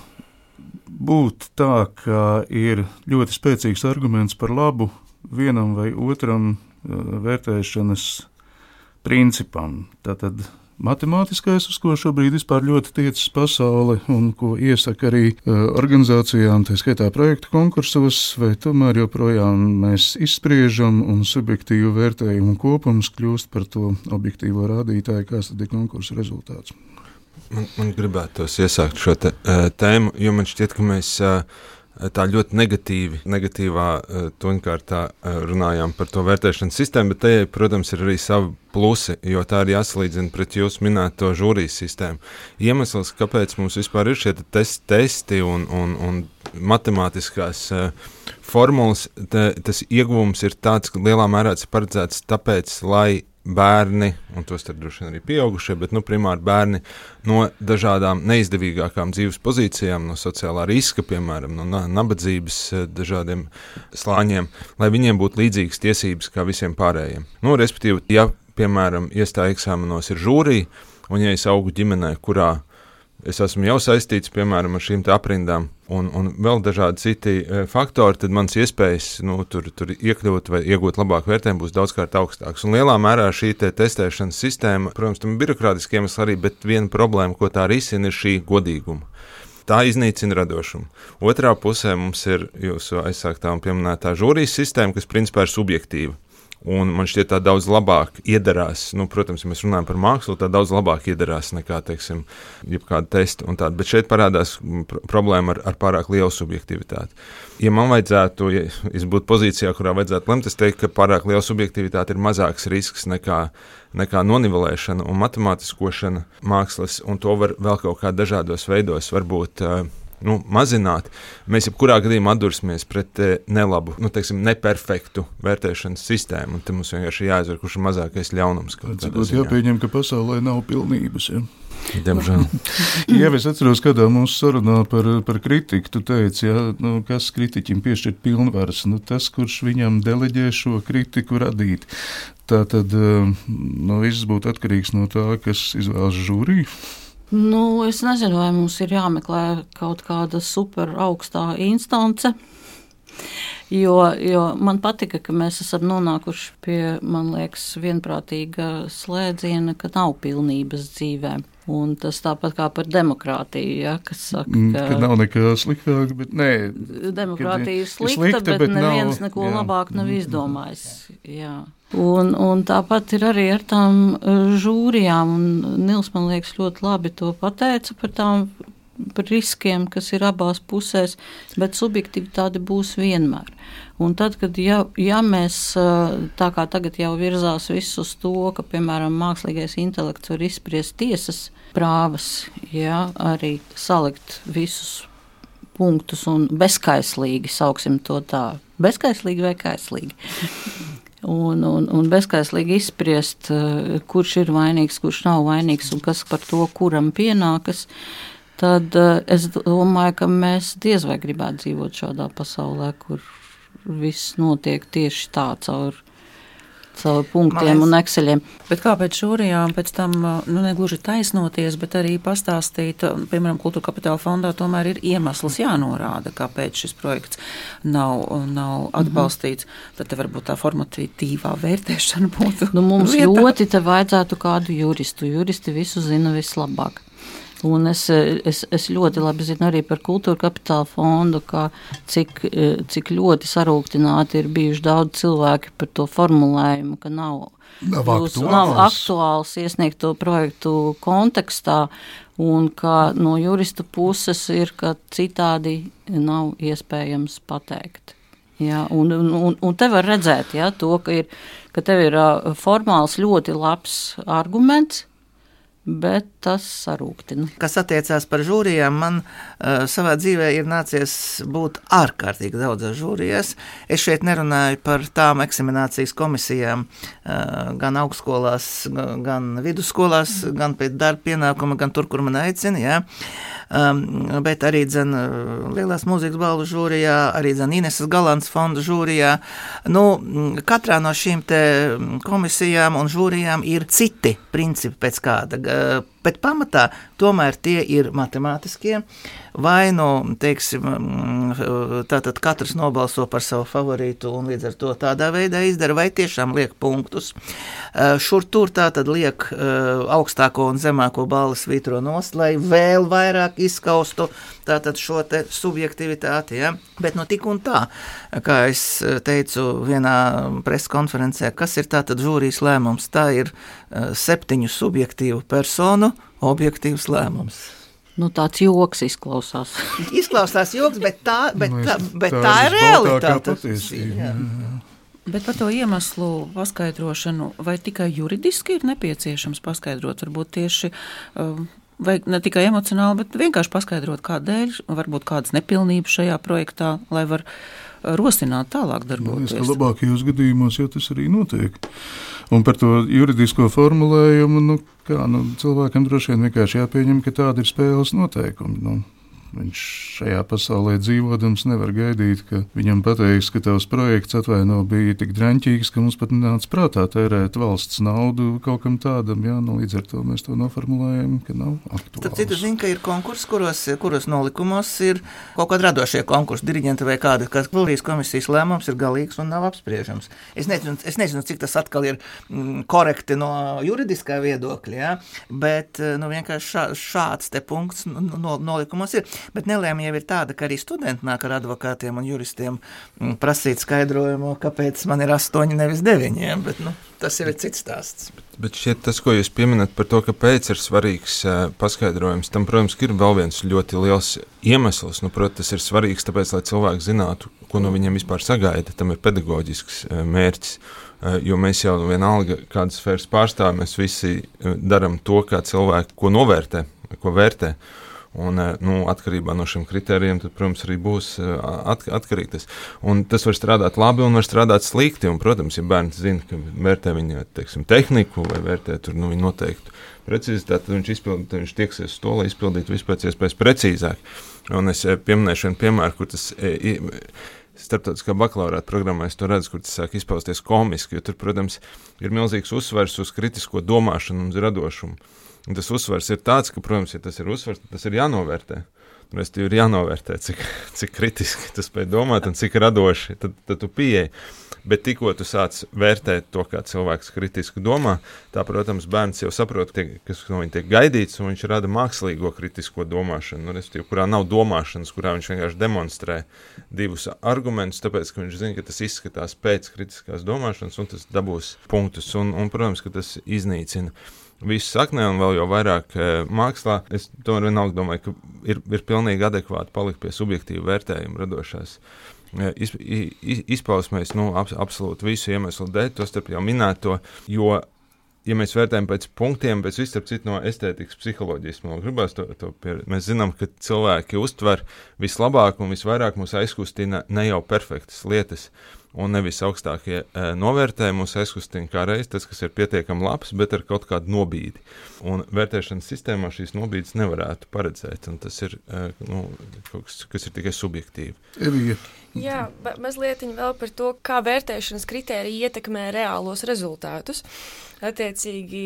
būt tā, ka ir ļoti spēcīgs arguments par labu vienam vai otram vērtēšanas principam? Tātad matemātiskais, uz ko šobrīd vispār ļoti tiecas pasaule un ko iesaka arī uh, organizācijām, tā skaitā projektu konkursos, vai tomēr joprojām mēs izspriežam un subjektīvu vērtējumu kopums kļūst par to objektīvo rādītāju, kāds tad ir konkursu rezultāts. Man, man gribētos iesākt šo te, uh, tēmu, jo man šķiet, ka mēs uh, tā ļoti negatīvi, negatīvā toņkārtā runājām par to vērtēšanas sistēmu, bet tajai, protams, ir arī savi plusi, jo tā ir jāsalīdzina pret jūsu minēto žūrijas sistēmu. Iemesls, kāpēc mums vispār ir šie testi, testi un, un, un matemātiskās formulas, te, tas ieguvums ir tāds, ka lielā mērā tas ir paredzēts tāpēc, lai bērni, un tos tad droši vien arī pieaugušie, bet nu, primāri bērni no dažādām neizdevīgākām dzīves pozīcijām, no sociālā riska, piemēram, no nabadzības dažādiem slāņiem, lai viņiem būtu līdzīgas tiesības kā visiem pārējiem. Nu, respektīvi, ja, piemēram, iestāja eksāmenos ir žūrija, un ja es augu ģimenē, kurā es esmu jau saistīts, piemēram, ar šīm te aprindām un, un vēl dažādi citi e, faktori, tad mans iespējas nu, tur, tur iekļūt vai iegūt labāku vērtējumu būs daudzkārt augstāks. Un lielā mērā šī te testēšanas sistēma, protams, tam ir birokrātiski iemesli arī, bet viena problēma, ko tā risina, ir šī godīguma. Tā iznīcina radošumu. Otrā pusē mums ir jūsu aizsāktā un pieminētā žūrijas sistēma, kas principā ir subjektīva. Un man šķiet, tā daudz labāk iedarās, nu, protams, ja mēs runājam par mākslu, tā daudz labāk iedarās nekā, teiksim, jebkāda testa un tāda. Bet šeit parādās pr- problēma ar, ar pārāk lielu subjektivitāti. Ja man vajadzētu, ja es būtu pozīcijā, kurā vajadzētu lemt, es teiktu, ka pārāk liela subjektivitāte ir mazāks risks nekā, nekā nonivelēšana un matemātiskošana mākslas, un to var vēl kaut kā dažādos veidos varbūt nu, mazināt. Mēs jebkurā gadījumā atdursimies pret e, nelabu, nu, teiksim, neperfektu vērtēšanas sistēmu, un te mums vienkārši jāizver, kurš ir mazākais ļaunums. Cikot jāpieņem, ka pasaulē nav pilnības, ja? Diemžēl. Jā, es atceros, kādā mūsu sarunā par, par kritiku, tu teici, ja, nu, kas kritiķim piešķirt pilnvaras, nu, tas, kurš viņam deleģē šo kritiku radīt. Tā tad, nu, viss būtu atkarīgs no tā, kas izvēlas žūriju. Nu, es nezinu, vai mums ir jāmeklē kaut kāda super augstā instance, jo, jo man patika, ka mēs esam nonākuši pie, man liekas, vienprātīga slēdziena, ka nav pilnības dzīvē. Un tas tāpat kā par demokrātiju, ja, kas saka, ka... Ka nav nekā sliktāk, bet nē... Demokrātija ir slikta, slikta, bet, bet neviens nav, neko jā. labāk nav izdomājis. Jā. Un, un tāpat ir arī ar tām žūrijām, un Nils, man liekas, ļoti labi to pateica par tām par riskiem, kas ir abās pusēs, bet subjektivitāte būs vienmēr. Un tad, kad ja, ja mēs tā kā tagad jau virzās visus uz to, ka, piemēram, mākslīgais intelekts var izspriest tiesas prāvas, ja, arī salikt visus punktus un bezkaislīgi, sauksim to tā, bezkaislīgi vai kaislīgi. Un, un, un bezkaislīgi izspriest, kurš ir vainīgs, kurš nav vainīgs un kas par to, kuram pienākas, tad es domāju, ka mēs diez vai gribētu dzīvot šādā pasaulē, kur viss notiek tieši tā caur, caur punktiem un ekseļiem. Bet kāpēc žūrijām pēc tam, nu, negluži taisnoties, bet arī pastāstīt, piemēram, Kultūra Kapitāla fondā tomēr ir iemesls jānorāda, kāpēc šis projekts nav, nav atbalstīts. Mm-hmm. Tad te varbūt tā formatīvā vērtēšana būtu. Nu, mums vietā. Ļoti te vajadzētu kādu juristu. Juristi visu zina vislabāk. Un es, es, es ļoti labi zinu arī par Kultūra Kapitāla fondu, kā cik, cik ļoti sarūktināti ir bijuši daudz cilvēki par to formulējumu, ka nav, nav, jūs, aktuāls. nav aktuāls iesniegt to projektu kontekstā, un ka no juristu puses ir, ka citādi nav iespējams pateikt. Jā, un, un, un te var redzēt, jā, to, ka, ir, ka tev ir formāls ļoti labs arguments, bet tas sarūktina. Kas attiecās par žūrijām, man uh, savā dzīvē ir nācies būt ārkārtīgi daudzās žūrijās. Es šeit nerunāju par tām eksaminācijas komisijām, uh, gan augstskolās, gan vidusskolās, gan pēc darba pienākuma, gan tur, kur man aicina, jā. Um, bet arī dzen Lielās mūzikas balvu žūrijā, arī dzen Ineses Galants fonda žūrijā. Nu, katrā no šīm te komisijām un žūrijām ir citi principi pēc kāda, bet pamatā tomēr tie ir matemātiskie, vai nu, teiksim, tātad katrs nobalso par savu favorītu un līdz ar to tādā veidā izdara, vai tiešām liek punktus. Šur tur tātad liek augstāko un zemāko balvu svītro nost, lai vēl vairāk izskaustu tātad šo te subjektivitāti, ja? Bet nu tik un tā, kā es teicu vienā preskonferencē, kas ir tātad žūrijas lēmums, tā ir septiņu subjektīvu personu objektīvs lēmums. Nu, tāds joks izklausās. Izklausās joks, bet tā, bet Nu, es- tā, bet tā tā ir ir visbaltākā realitāte. patiesība, Jā. jā, jā. Bet par to iemeslu paskaidrošanu, vai tikai juridiski ir nepieciešams paskaidrot, varbūt tieši, um, vai ne tikai emocionāli, bet vienkārši paskaidrot, kādēļ, varbūt kādas nepilnības šajā projektā, lai var rosināt tālāk Man liekas, darboties. ka labākajos gadījumos jau tas arī notiek. Un par to juridisko formulējumu, nu, kā, nu, cilvēkam droši vien vienkārši jāpieņem, ka tāda ir spēles noteikumi. Nu. Viņš šajā pasaulē dzīvodams nevar gaidīt, ka viņam pateiks, ka tavs projekts atvaino bija tik draņķīgs, ka mums pat nenāca prātā tērēt valsts naudu kaut kam tādam. Jā, nu, līdz ar to mēs to noformulējam, ka nav aktuāls. Tad citu zinu, ka ir konkursi, kuros, kuros nolikumos ir kaut kādi radošie konkursi, diriģenti vai kādi, kas Valdes komisijas lēmums ir galīgs un nav apspriežams. Es nezinu, es nezinu cik tas atkal ir mm, korekti no juridiskā viedokļa, ja? Bet nu, vienkārši šā, šāds te punkts no, nolikumos ir. Bet nelēma jau ir tāda, ka arī studenti nāk ar advokātiem un juristiem mm, prasīt skaidrojumu, kāpēc man ir astoņi, nevis deviņiem, bet nu, tas jau ir cits stāsts. Bet šķiet, tas, ko jūs pieminat par to, kāpēc ir svarīgs uh, paskaidrojums, tam, protams, ir vēl viens ļoti liels iemesls. Nu, protams, tas ir svarīgs, tāpēc, lai cilvēki zinātu, ko no viņiem vispār sagaida. Tam ir pedagoģisks uh, mērķis, uh, jo mēs jau vienalga kādas sfēras pārstāvjam, mēs visi uh, daram to, kā cilvēki, ko novērtē, ko vērtē. Un, nu, atkarībā no šiem kritērijiem, tad, protams, arī būs at, atkarīgi tas. Un tas var strādāt labi un var strādāt slikti. Un, protams, ja bērns zina, ka vērtē viņa, teiksim, tehniku vai vērtē tur, nu, viņa noteiktu precizitāti, tad viņš, izpild, tad viņš tieksies uz to, lai izpildītu vispēc iespējas precīzāk. Un es pieminēšu vienu piemēru, kur tas starptautiskā bakalaurāta programmā es to redzu, kur tas sāk izpausties komiski, jo tur, protams, ir milzīgs uzsvars uz kritisko domāšanu un uz radošumu. Un tas uzsvars ir tāds, ka, protams, ja tas ir uzsvars, tad tas ir jānovērtē. Restīvi ir jānovērtē, cik, cik kritiski tu spēj domāt un cik radoši, tad, tad tu pieeji. Bet tikko tu sāc vērtēt to, kā cilvēks kritiski domā, tā, protams, bērns jau saprot, tiek, kas no viņa tiek gaidīts, un viņš rada mākslīgo kritisko domāšanu, restīvi, kurā nav domāšanas, kurā viņš vienkārši demonstrē divus argumentus, tāpēc, ka viņš zina, ka tas izskatās pēc kritiskās domāšanas, un tas dabūs punktus, un, un protams, ka tas iznīcina visu saknē un vēl jau vairāk e, mākslā. Es tomēr vienalga domāju, ka ir, ir pilnīgi adekvāti palikt pie subjektīva vērtējuma radošās e, iz, iz, izpausmēs, nu, ab, absolūti visu iemeslu dēļ, to starp jau minēto, jo, ja mēs vērtējam pēc punktiem, pēc viss starp citu no estētikas psiholoģijas, man gribās to, to pieredzi. Mēs zinām, ka cilvēki uztver vislabāk un visvairāk mūs aizkustina ne jau perfektas lietas, un nevis augstākie e, novērtējumi mūs aizkustina kā reiz tas, kas ir pietiekami labs, bet ar kaut kādu nobīdi. Un vērtēšanas sistēmā šīs nobīdes nevarētu paredzēt, un tas ir e, nu, kaut kas, kas ir tikai subjektīvi. Evija. Jā, mazlietiņ vēl par to, kā vērtēšanas kritēriji ietekmē reālos rezultātus. Attiecīgi,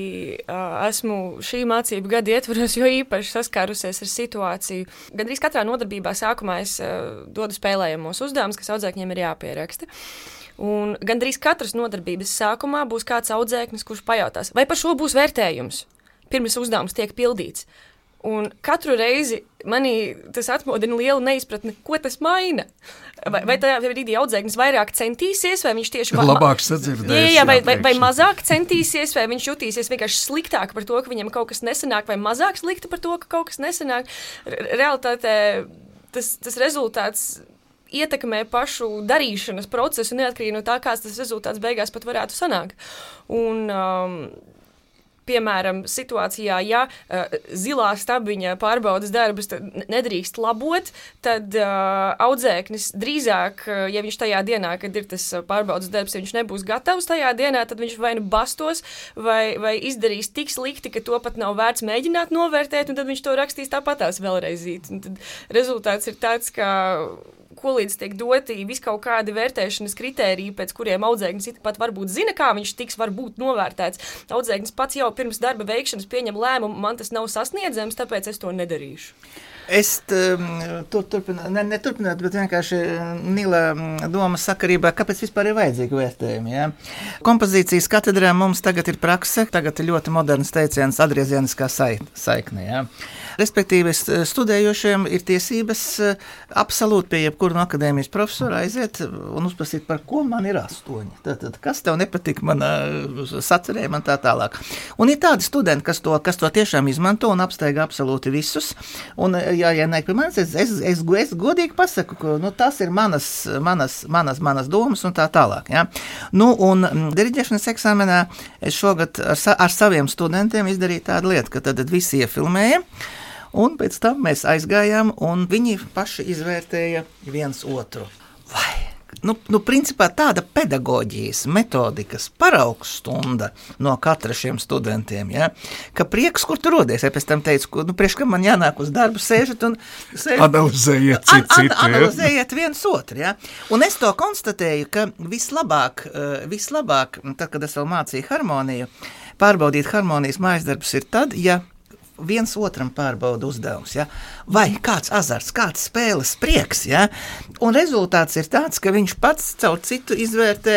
esmu šī mācību gada ietvaros, jo īpaši saskārusies ar situāciju. Gandrīz katrā nodarbībā sākumā es dodu spēlējamos uzdevumus, kas audzēkņiem ir jāpieraksta. Un gandrīz katras nodarbības sākumā būs kāds audzēknis, kurš pajautās, vai par šo būs vērtējums, pirms uzdevums tiek pildīts. Un katru reizi manī tas atmodina lielu neizpratni, ko tas maina. Vai, vai tajā brīdī audzēknis vairāk centīsies, vai viņš tieši... Labāk sadzirdēs. Jā, jā, vai, vai, vai mazāk centīsies, vai viņš jutīsies vienkārši sliktāk par to, ka viņam kaut kas nesanāk, vai mazāk slikti par to, ka kaut kas nesanāk. Realitātē tas, tas rezultāts ietekmē pašu darīšanas procesu, neatkarīgi no tā, kāds tas rezultāts beigās pat varētu sanākt. Un... Um, Piemēram, situācijā, ja uh, zilā stabiņa pārbaudas darbus nedrīkst labot, tad uh, audzēknis drīzāk, uh, ja viņš tajā dienā, kad ir tas pārbaudas darbs, ja viņš nebūs gatavs tajā dienā, tad viņš vai nu bastos, vai, vai izdarīs tik slikti, ka to pat nav vērts mēģināt novērtēt, un tad viņš to rakstīs tāpatās vēlreizīt. Un tad rezultāts ir tāds, ka ko līdz tiek doti viskaut kādi vērtēšanas kritēriji, pēc kuriem audzēknis pat varbūt zina, kā viņš tiks varbūt novērtēts. Audzēknis pats jau pirms darba veikšanas pieņem lēmumu, man tas nav sasniedzams, tāpēc es to nedarīšu. Es tur turpinātu, ne, neturpinātu, bet vienkārši Nila doma sakarībā, kāpēc vispār ir vajadzīgi vērtējumi. Ja? Kompozīcijas katedrā mums tagad ir prakse, tagad ir ļoti moderns teiciens atgriezieniskā saikne. Ja? Respektīvi, studējošiem ir tiesības absolūti pie jebkura no akadēmijas profesora aiziet un uzprasīt, par ko man ir astoņi. Tātad, kas tev nepatika manā sacerējumā un tā tālāk. Un ir tādi studenti, kas to, kas to tiešām izmanto un apsteigā absolūti visus. Un, ja, ja ne pie manis, es, es, es, es godīgi pasaku, ka nu, tas ir manas, manas, manas, manas domas un tā tālāk. Ja? Nu, un diriģēšanas eksāmenā es šogad ar, sa, ar saviem studentiem izdarīju tādu lietu, ka tad visi iefilmēja. Un pēc tam mēs aizgājām, un viņi paši izvērtēja viens otru. Vai? Nu, nu, principā tāda pedagoģijas, metodikas paraugstunda no katra šiem studentiem, ja? Ka prieks, kur tu rodies. Es pēc tam teicu, nu, priekš, ka man jānāk uz darbu, sēžat un sēžat. Analizējiet citu, an, an, citu. Analizējiet viens otru, ja? Un es to konstatēju, ka vislabāk, vislabāk, tad, kad es vēl mācīju harmoniju, pārbaudīt harmonijas mājasdarbus ir tad, ja viens otram pārbauda uzdevums, ja? Vai kāds azarts, kāds spēles prieks, ja? Un rezultāts ir tāds, ka viņš pats caur citu izvērtē,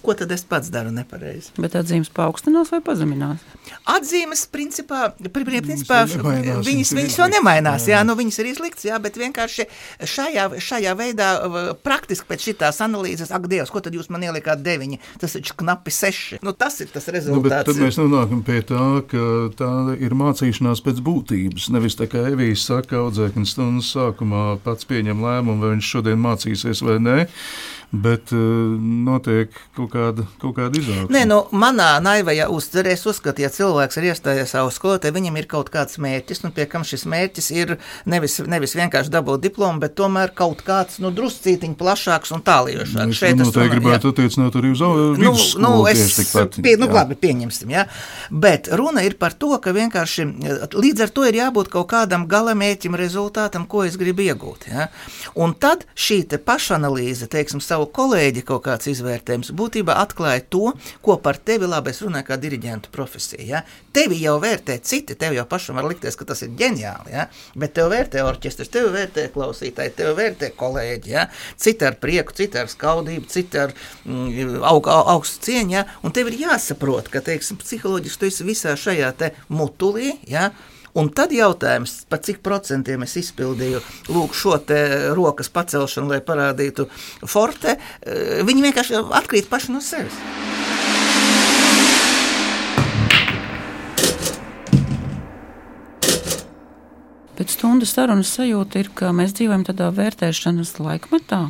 ko tad es pats daru nepareizi. Bet atzīmes paaugstinās vai pazeminās? Atzīmes, principā, principā viņas, viņas, viņas jau nemainās, jā, nu viņas ir izlikts, jā, bet vienkārši šajā, šajā veidā praktiski pēc šitās analīzes, ak, Dievs, ko tad jūs man ielikāt deviņi, tas taču knapi seši. Nu, tas ir tas rezultāts. Nu, bet tad mēs nonākam pie tā, ka tā ir mācīšanās pēc būtības. Nevis tā kā Evijas saka, audzēknis stundas sākumā pats pieņem lēmumu, vai viņš šodien mācīsies vai nē, bet uh, notiek kaut kāda, kaut kāda izaugsme. Nē, nu, manā naivajā uztverē es uzskatu, ja cilvēks ir iestājies savu skolotāju, viņam ir kaut kāds mērķis, nu, pie kam šis mērķis ir nevis, nevis vienkārši dabūt diplomu, bet tomēr kaut kāds, nu, druscītiņ plašāks un tālījošāks. Es Šeit noteikti gribētu attiecināt arī uz vidusskolu. Nu, nu, es, pie, nu, labi, pieņemsim, jā. Bet runa ir par to, ka vienkārši līdz ar to ir jābūt kaut kādam galamērķim, rezultātam, ko es gribu iegūt, jā. Un tad šī te pašanalīze, teiksim, savu kolēģi kaut kāds izvērtējums būtībā atklāja to, ko par tevi, labi, es runāju kā diriģentu profesija, ja? Tevi jau vērtē citi, tev jau pašam var likties, ka tas ir ģeniāli, ja? Bet tev vērtē orķestrs, tev vērtē klausītāji, tev vērtē kolēģi, ja? Citi ar prieku, citi ar skaudību, citi ar mm, aug, aug, augstu cieņu, ja? Un tev ir jāsaprot, ka, teiksim, psiholoģiski tu esi visā šajā te mutulī, ja? Un tad jautājums, pa cik procentiem es izpildīju lūk šo te rokas pacelšanu, lai parādītu forte, viņi vienkārši atkrīt paši no sevis. Pēc stundas sarunas sajūta ir, ka mēs dzīvojam tādā vērtēšanas laikmetā.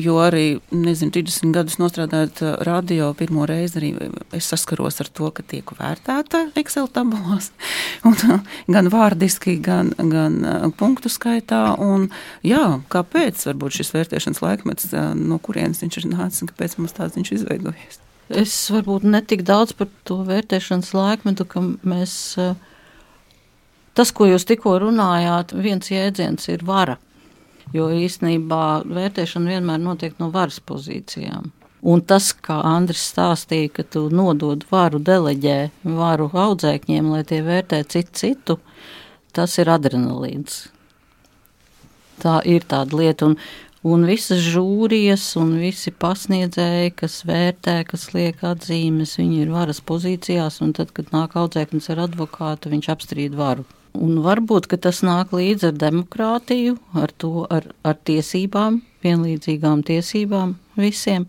Jo arī, nezinu, trīsdesmit gadus nostrādājot radio, pirmo reizi arī es saskaros ar to, ka tiek vērtēta Excel tabulās, un, gan vārdiski, gan, gan punktu skaitā, un jā, kāpēc varbūt šis vērtēšanas laikmets, no kurienes viņš ir nācis, un kāpēc mums tāds viņš izveidojies? Es varbūt netik daudz par to vērtēšanas laikmetu, ka mēs, tas, ko jūs tikko runājāt, viens jēdziens ir vara. Jo īstenībā vērtēšana vienmēr notiek no varas pozīcijām. Un tas, kā Andris stāstīja, ka tu nodod varu, deleģē varu audzēkņiem, lai tie vērtē citu citu, tas ir adrenalīns. Tā ir tāda lieta, un, un visas žūrijas un visi pasniedzēji, kas vērtē, kas liek atzīmes, viņi ir varas pozīcijās, un tad, kad nāk audzēknis ar advokātu, viņš apstrīd varu. Un varbūt, ka tas nāk līdz ar demokrātiju, ar to, ar, ar tiesībām, vienlīdzīgām tiesībām visiem,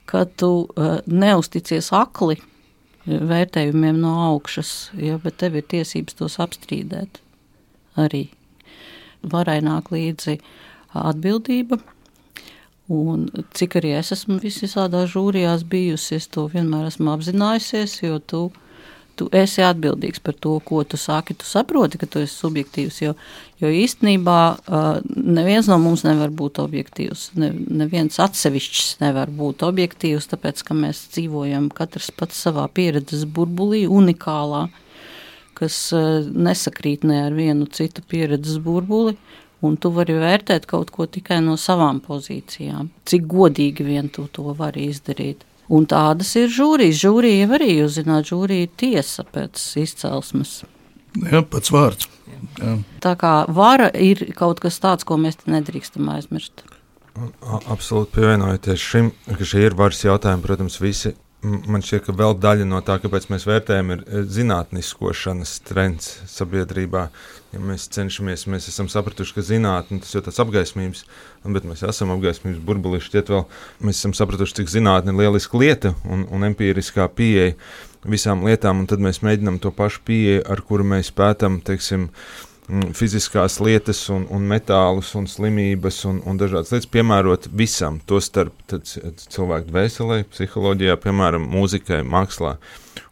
ka tu uh, neusticies akli vērtējumiem no augšas, ja, bet tev ir tiesības tos apstrīdēt arī. Varai nāk līdzi atbildība, un cik arī es esmu visādā žūrijās bijusi, es to vienmēr esmu apzinājusies, jo tu Tu esi atbildīgs par to, ko tu saki, tu saproti, ka tu esi subjektīvs, jo, jo īstenībā uh, neviens no mums nevar būt objektīvs, ne, neviens atsevišķs nevar būt objektīvs, tāpēc, ka mēs dzīvojam katrs pats savā pieredzes burbulī, unikālā, kas uh, nesakrīt ne ar vienu citu pieredzes burbuli, un tu vari vērtēt kaut ko tikai no savām pozīcijām, cik godīgi vien tu to vari izdarīt. Un tādas ir žūrijas. Žūrija arī, jūs zināt, žūrija ir tiesa pēc izcelsmes. Jā, pats vārds. Jā. Tā kā vara ir kaut kas tāds, ko mēs nedrīkstam aizmirst. Absolūti pievienojoties šim, ka šie ir varas jautājumi, protams, visi. Man šķiet, ka vēl daļa no tā, kāpēc mēs vērtējam, ir zinātniskošanas trends sabiedrībā. Ja mēs cenšamies, mēs esam sapratuši, ka zinātne, tas jau tāds apgaismības, bet mēs esam apgaismības burbulī, šķiet vēl, mēs esam sapratuši, cik zinātne ir lieliska lieta un, un empiriskā pieeja visām lietām, un tad mēs mēģinām to pašu pieeju, ar kuru mēs pētam, teiksim, fiziskās lietas un, un metālus un slimības un, un dažādas lietas piemērot visam, to starp cilvēku dvēselē, psiholoģijā, piemēram, mūzikai, mākslā.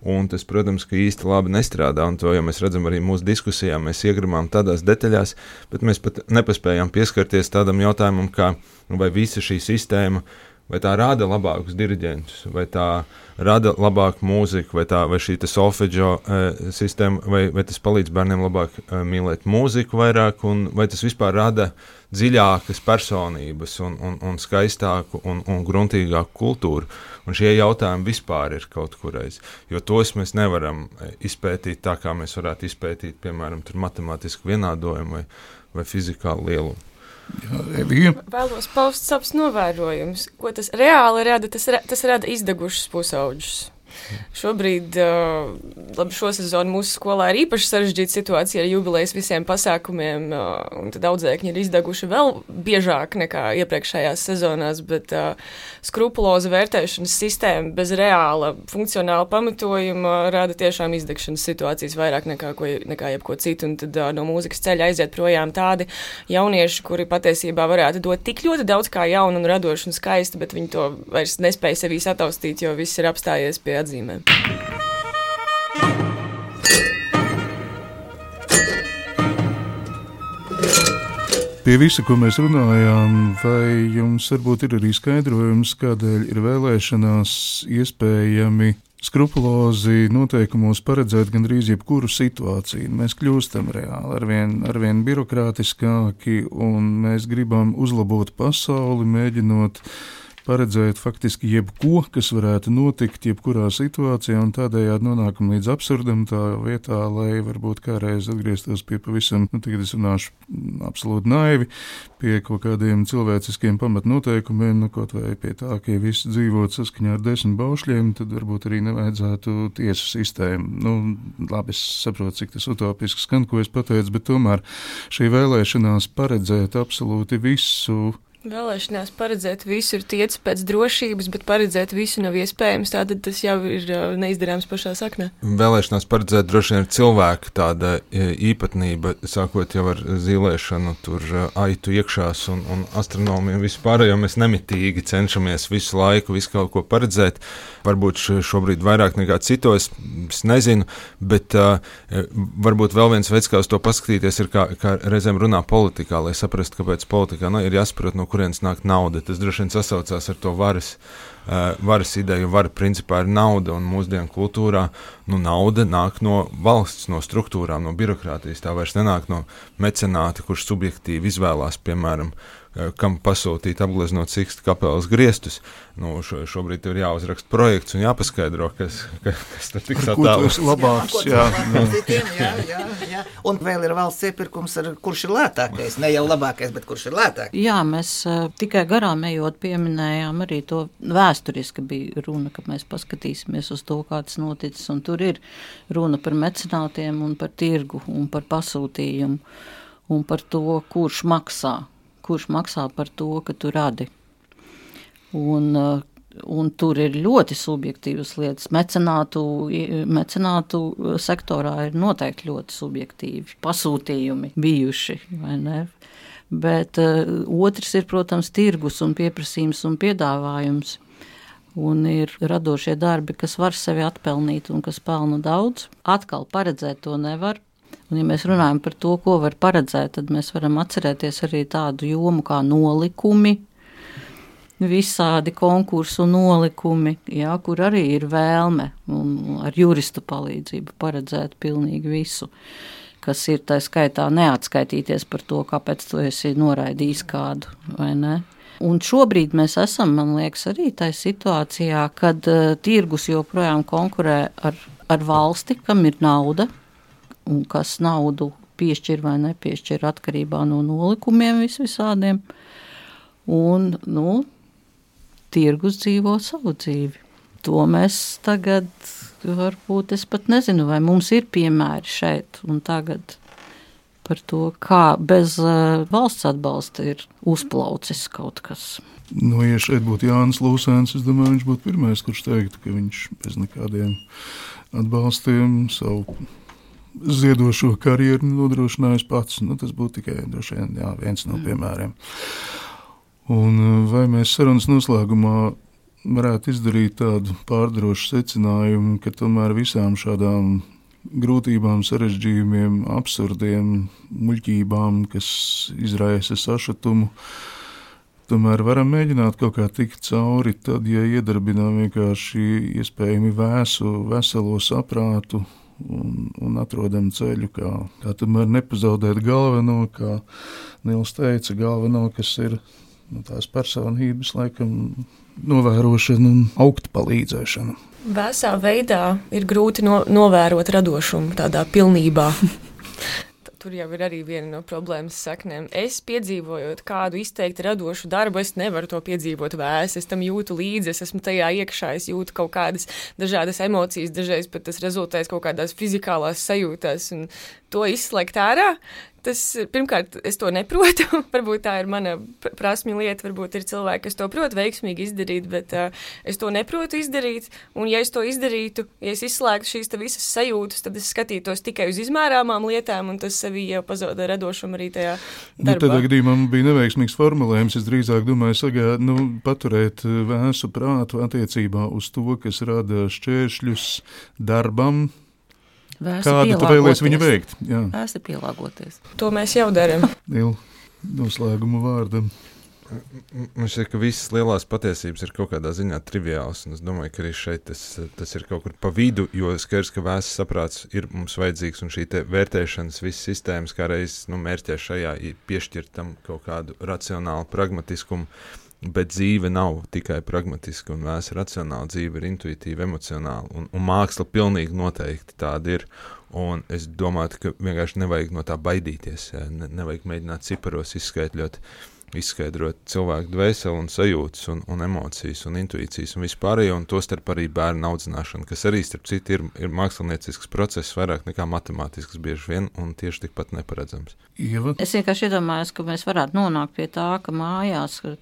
Un tas, protams, ka īsti labi nestrādā, un to jau mēs redzam arī mūsu diskusijā, mēs iegrimām tādās detaļās, bet mēs pat nepaspējām pieskarties tādam jautājumam, kā vai visa šī sistēma, vai tā rada labākus diriģentus, vai tā rada labāku mūziku, vai, tā, vai šī solfeģo e, sistēma, vai, vai tas palīdz bērniem labāk e, mīlēt mūziku vairāk, un vai tas vispār rada dziļākas personības un, un, un skaistāku un, un gruntīgāku kultūru. Un šie jautājumi vispār ir kaut kureiz, jo tos mēs nevaram izpētīt tā, kā mēs varētu izpētīt, piemēram, tur matemātisku vienādojumu vai, vai fizikālu lielumu. Jā, Evija. Vēlos paust savus novērojumus. Ko tas reāli rada? Tas, ra- tas rada izdegušus pusauģus. Šobrīd, uh, labi, šo sezonu mūsu skolā ir īpaši sarežģīta situācija ar jubilejas visiem pasākumiem, uh, un tad audzēkņi ir izdeguši vēl biežāk nekā iepriekšējās sezonās, bet uh, skrupuloza vērtēšanas sistēma bez reāla funkcionāla pamatojuma rada tiešām izdegšanas situācijas vairāk nekā, ko, nekā jebko citu, un tad uh, no mūzikas ceļa aiziet projām tādi jaunieši, kuri patiesībā varētu dot tik ļoti daudz kā jaunu un radošu un skaistu, bet viņi to vairs nespēja sevī sataustīt, jo viss ir apstājies pie atzīmēm. Pie visa, ko mēs runājām, vai jums varbūt ir arī skaidrojums, kādēļ ir vēlēšanās iespējami skrupulozi noteikumos paredzēt gandrīz jebkuru situāciju? Mēs kļūstam reāli arvien, arvien birokrātiskāki, un mēs gribam uzlabot pasauli, mēģinot paredzēt faktiski jebko, kas varētu notikt jebkurā situācijā, un tādējādi nonākam līdz absurdam tā vietā, lai varbūt kādreiz atgrieztos pie pavisam, nu tagad es runāšu absolūti naivi, pie kaut kādiem cilvēciskiem pamatnoteikumiem, nu kaut vai pie tā, ka ja visi dzīvot saskaņā ar desmit baušļiem, tad varbūt arī nevajadzētu tiesu sistēmu. Nu, labi, es saprotu, cik tas utopiski skan, ko es pateicu, bet tomēr šī vēlēšanās paredzēt absolūti visu. Vēlēšanās paredzēt visu ir tiec pēc drošības, bet paredzēt visu nav iespējams, tātad tas jau ir neizdarāms pašā saknē. Vēlēšanās paredzēt droši vien ir cilvēka tāda īpatnība, sākot jau ar zīlēšanu, tur aitu iekšās un, un astronomiju vispār, jo mēs nemitīgi cenšamies visu laiku visu kaut ko paredzēt. Varbūt šobrīd vairāk nekā citos, es nezinu, bet uh, varbūt vēl viens veids, kā uz to paskatīties, ir kā, kā reizēm runā politikā, lai saprastu, kāpēc politikā nu, ir jāsaprot, no kurienes nāk nauda. Tas droši vien sasaucās ar to varas, uh, varas ideju. Vara principā ir nauda, un mūsdienu kultūrā nu, nauda nāk no valsts, no struktūrām, no birokrātijas. Tā vairs nenāk no mecenāta, kurš subjektīvi izvēlās, piemēram, kam pasūtīt apgleznot Siksta kapelas griestus. Nu, šo, šobrīd tev ir jāuzraksta projekts un jāpaskaidro, kas, kas tad tiks attēlots. Labāks, jā. jā, jā, jā. Un vēl ir valsts iepirkums, ar, kurš ir lētākais, ne jau labākais, bet kurš ir lētākais. Jā, mēs uh, tikai garām ejot pieminējām arī to vēsturiski bija runa, ka mēs paskatīsimies uz to, kā tas noticis, un tur ir runa par mecenātiem un par tirgu un par pasūtījumu un par to, kurš maksā. kurš maksā par to, ka tu radi. Un, un tur ir ļoti subjektīvas lietas. Mecenātu, mecenātu sektorā ir noteikti ļoti subjektīvi pasūtījumi bijuši, vai ne? Bet uh, otrs ir, protams, tirgus un pieprasījums un piedāvājums. Un ir radošie darbi, kas var sevi atpelnīt un kas pelna daudz. Atkal paredzēt to nevar. Un, ja mēs runājam par to, ko var paredzēt, tad mēs varam atcerēties arī tādu jomu kā nolikumi, visādi konkursu nolikumi, jā, kur arī ir vēlme un ar juristu palīdzību paredzēt pilnīgi visu, kas ir tā skaitā neatskaitīties par to, kāpēc tu esi noraidījis kādu, vai ne? Un šobrīd mēs esam, man liekas, arī tā situācijā, kad uh, tirgus joprojām konkurē ar, ar valsti, kam ir nauda, un kas naudu piešķir vai nepiešķir atkarībā no nolikumiem vis visādiem. Un, nu, tirgus dzīvo savu dzīvi. To mēs tagad, varbūt es pat nezinu, vai mums ir piemēri šeit un tagad par to, kā bez uh, valsts atbalsta ir uzplaucis kaut kas. Nu, ja šeit būtu Jānis Lūsēns, es domāju, viņš būtu pirmais, kurš teiktu, ka viņš bez nekādiem atbalstiem savu ziedošo karjeru nodrošinājis pats. Nu, tas būtu tikai droši vien jā, viens no piemēriem. Un vai mēs sarunas noslēgumā varētu izdarīt tādu pārdrošu secinājumu, ka tomēr visām šādām grūtībām, sarežģījumiem, absurdiem, muļķībām, kas izraisa sašutumu, tomēr varam mēģināt kaut kā tikt cauri, tad, ja iedarbinām vienkārši iespējami vēsu, veselo saprātu un, un atrodam ceļu, kā, kā tomēr nepazaudēt galveno, kā Nils teica, galveno, kas ir nu, tās personības, laikam, novērošana un augt palīdzēšana. Vēsā veidā ir grūti no, novērot radošumu tādā pilnībā. Tur jau ir arī viena no problēmas saknēm. Es piedzīvojot kādu izteikti radošu darbu, es nevaru to piedzīvot vēsi, es tam jūtu līdzi, es esmu tajā iekšā, es jūtu kaut kādas dažādas emocijas, dažreiz pat tas rezultēs kaut kādās fizikālās sajūtās, un to izslēgt ārā. Tas, pirmkārt, es to neprotu, varbūt tā ir mana prasmju lieta, varbūt ir cilvēki, kas to prot veiksmīgi izdarīt, bet uh, es to neprotu izdarīt, un ja es to izdarītu, ja es izslēgtu šīs te visas sajūtas, tad es skatītos tikai uz izmērāmām lietām, un tas sevi jau pazoda radošumu arī tajā darbā. Nu, tādā gadījumā man bija neveiksmīgs formulējums, es drīzāk domāju sagā, nu, paturēt vēsu prātu attiecībā uz to, kas rada šķēršļus darbam, Vēsi kādu tu vēlies viņu veikt? Jā. Vēsi pielāgoties. To mēs jau darām. Il, noslēguma vārdam. Man šķiet, ka visas lielās patiesības ir kaut kādā ziņā triviāls, un es domāju, ka arī šeit tas, tas ir kaut kur pa vidu, jo skaidrs, ka vēsts saprāts ir mums vajadzīgs, un šī te vērtēšanas visas sistēmas, kā reiz nu, mērķē šajā piešķirt tam kaut kādu racionālu pragmatiskumu, bet dzīve nav tikai pragmatiska un vēsa racionāla, dzīve ir intuitīva, emocionāla, un, un māksla pilnīgi noteikti tāda ir, un es domāju, ka vienkārši nevajag no tā baidīties, ne, nevajag mēģināt ciparos izskaidrot, izskaidrot cilvēku dvēseli un sajūtas un, un emocijas un intuīcijas un vispārējo, un tostarp arī bērnu audzināšanu, kas arī starp citu ir, ir māksliniecisks process vairāk nekā matemātisks bieži vien un tieši tikpat neparedzams. Ieva? Es vienkārši iedomājos, ka mēs varētu nonākt pie tā, ka mājās, ka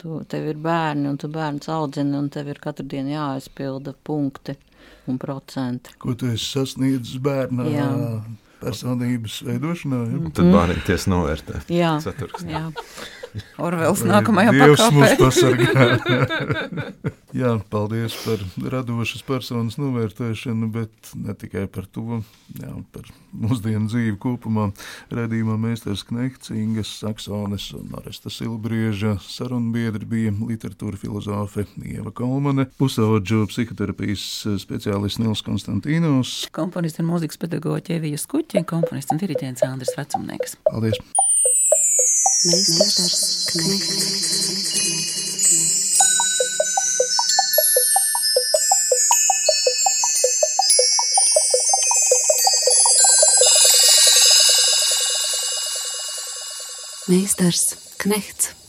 tu, tev ir bērni un tu bērns audzini un tev ir katru dienu jāaizpilda punkti un procenti. Ko tu esi sasniedzis bērnā Jā. personības veidošanā? Ja? Un tad bārīties novērtē. Jā, Ceturksnī. jā. Orvels nākamajā Dievs mūs pakāpē. pasargā. Jā, paldies par radošas personas novērtēšanu, bet ne tikai par to, jā, par mūsdienu dzīvi kopumā. Redījumā Meistars Knehts, Ingas Saksones un Aresta Silbrieža sarunbiedri bija literatūra filozofe Ieva Kolmane, pusaudžu psihoterapijas speciālists Nils Konstantīnos. Komponists un mūzikas pedagoģa Evija Skuķa un komponists un diriģents Andris Vecumnieks. Paldies! Meistars Knehts. Meistars Knehts.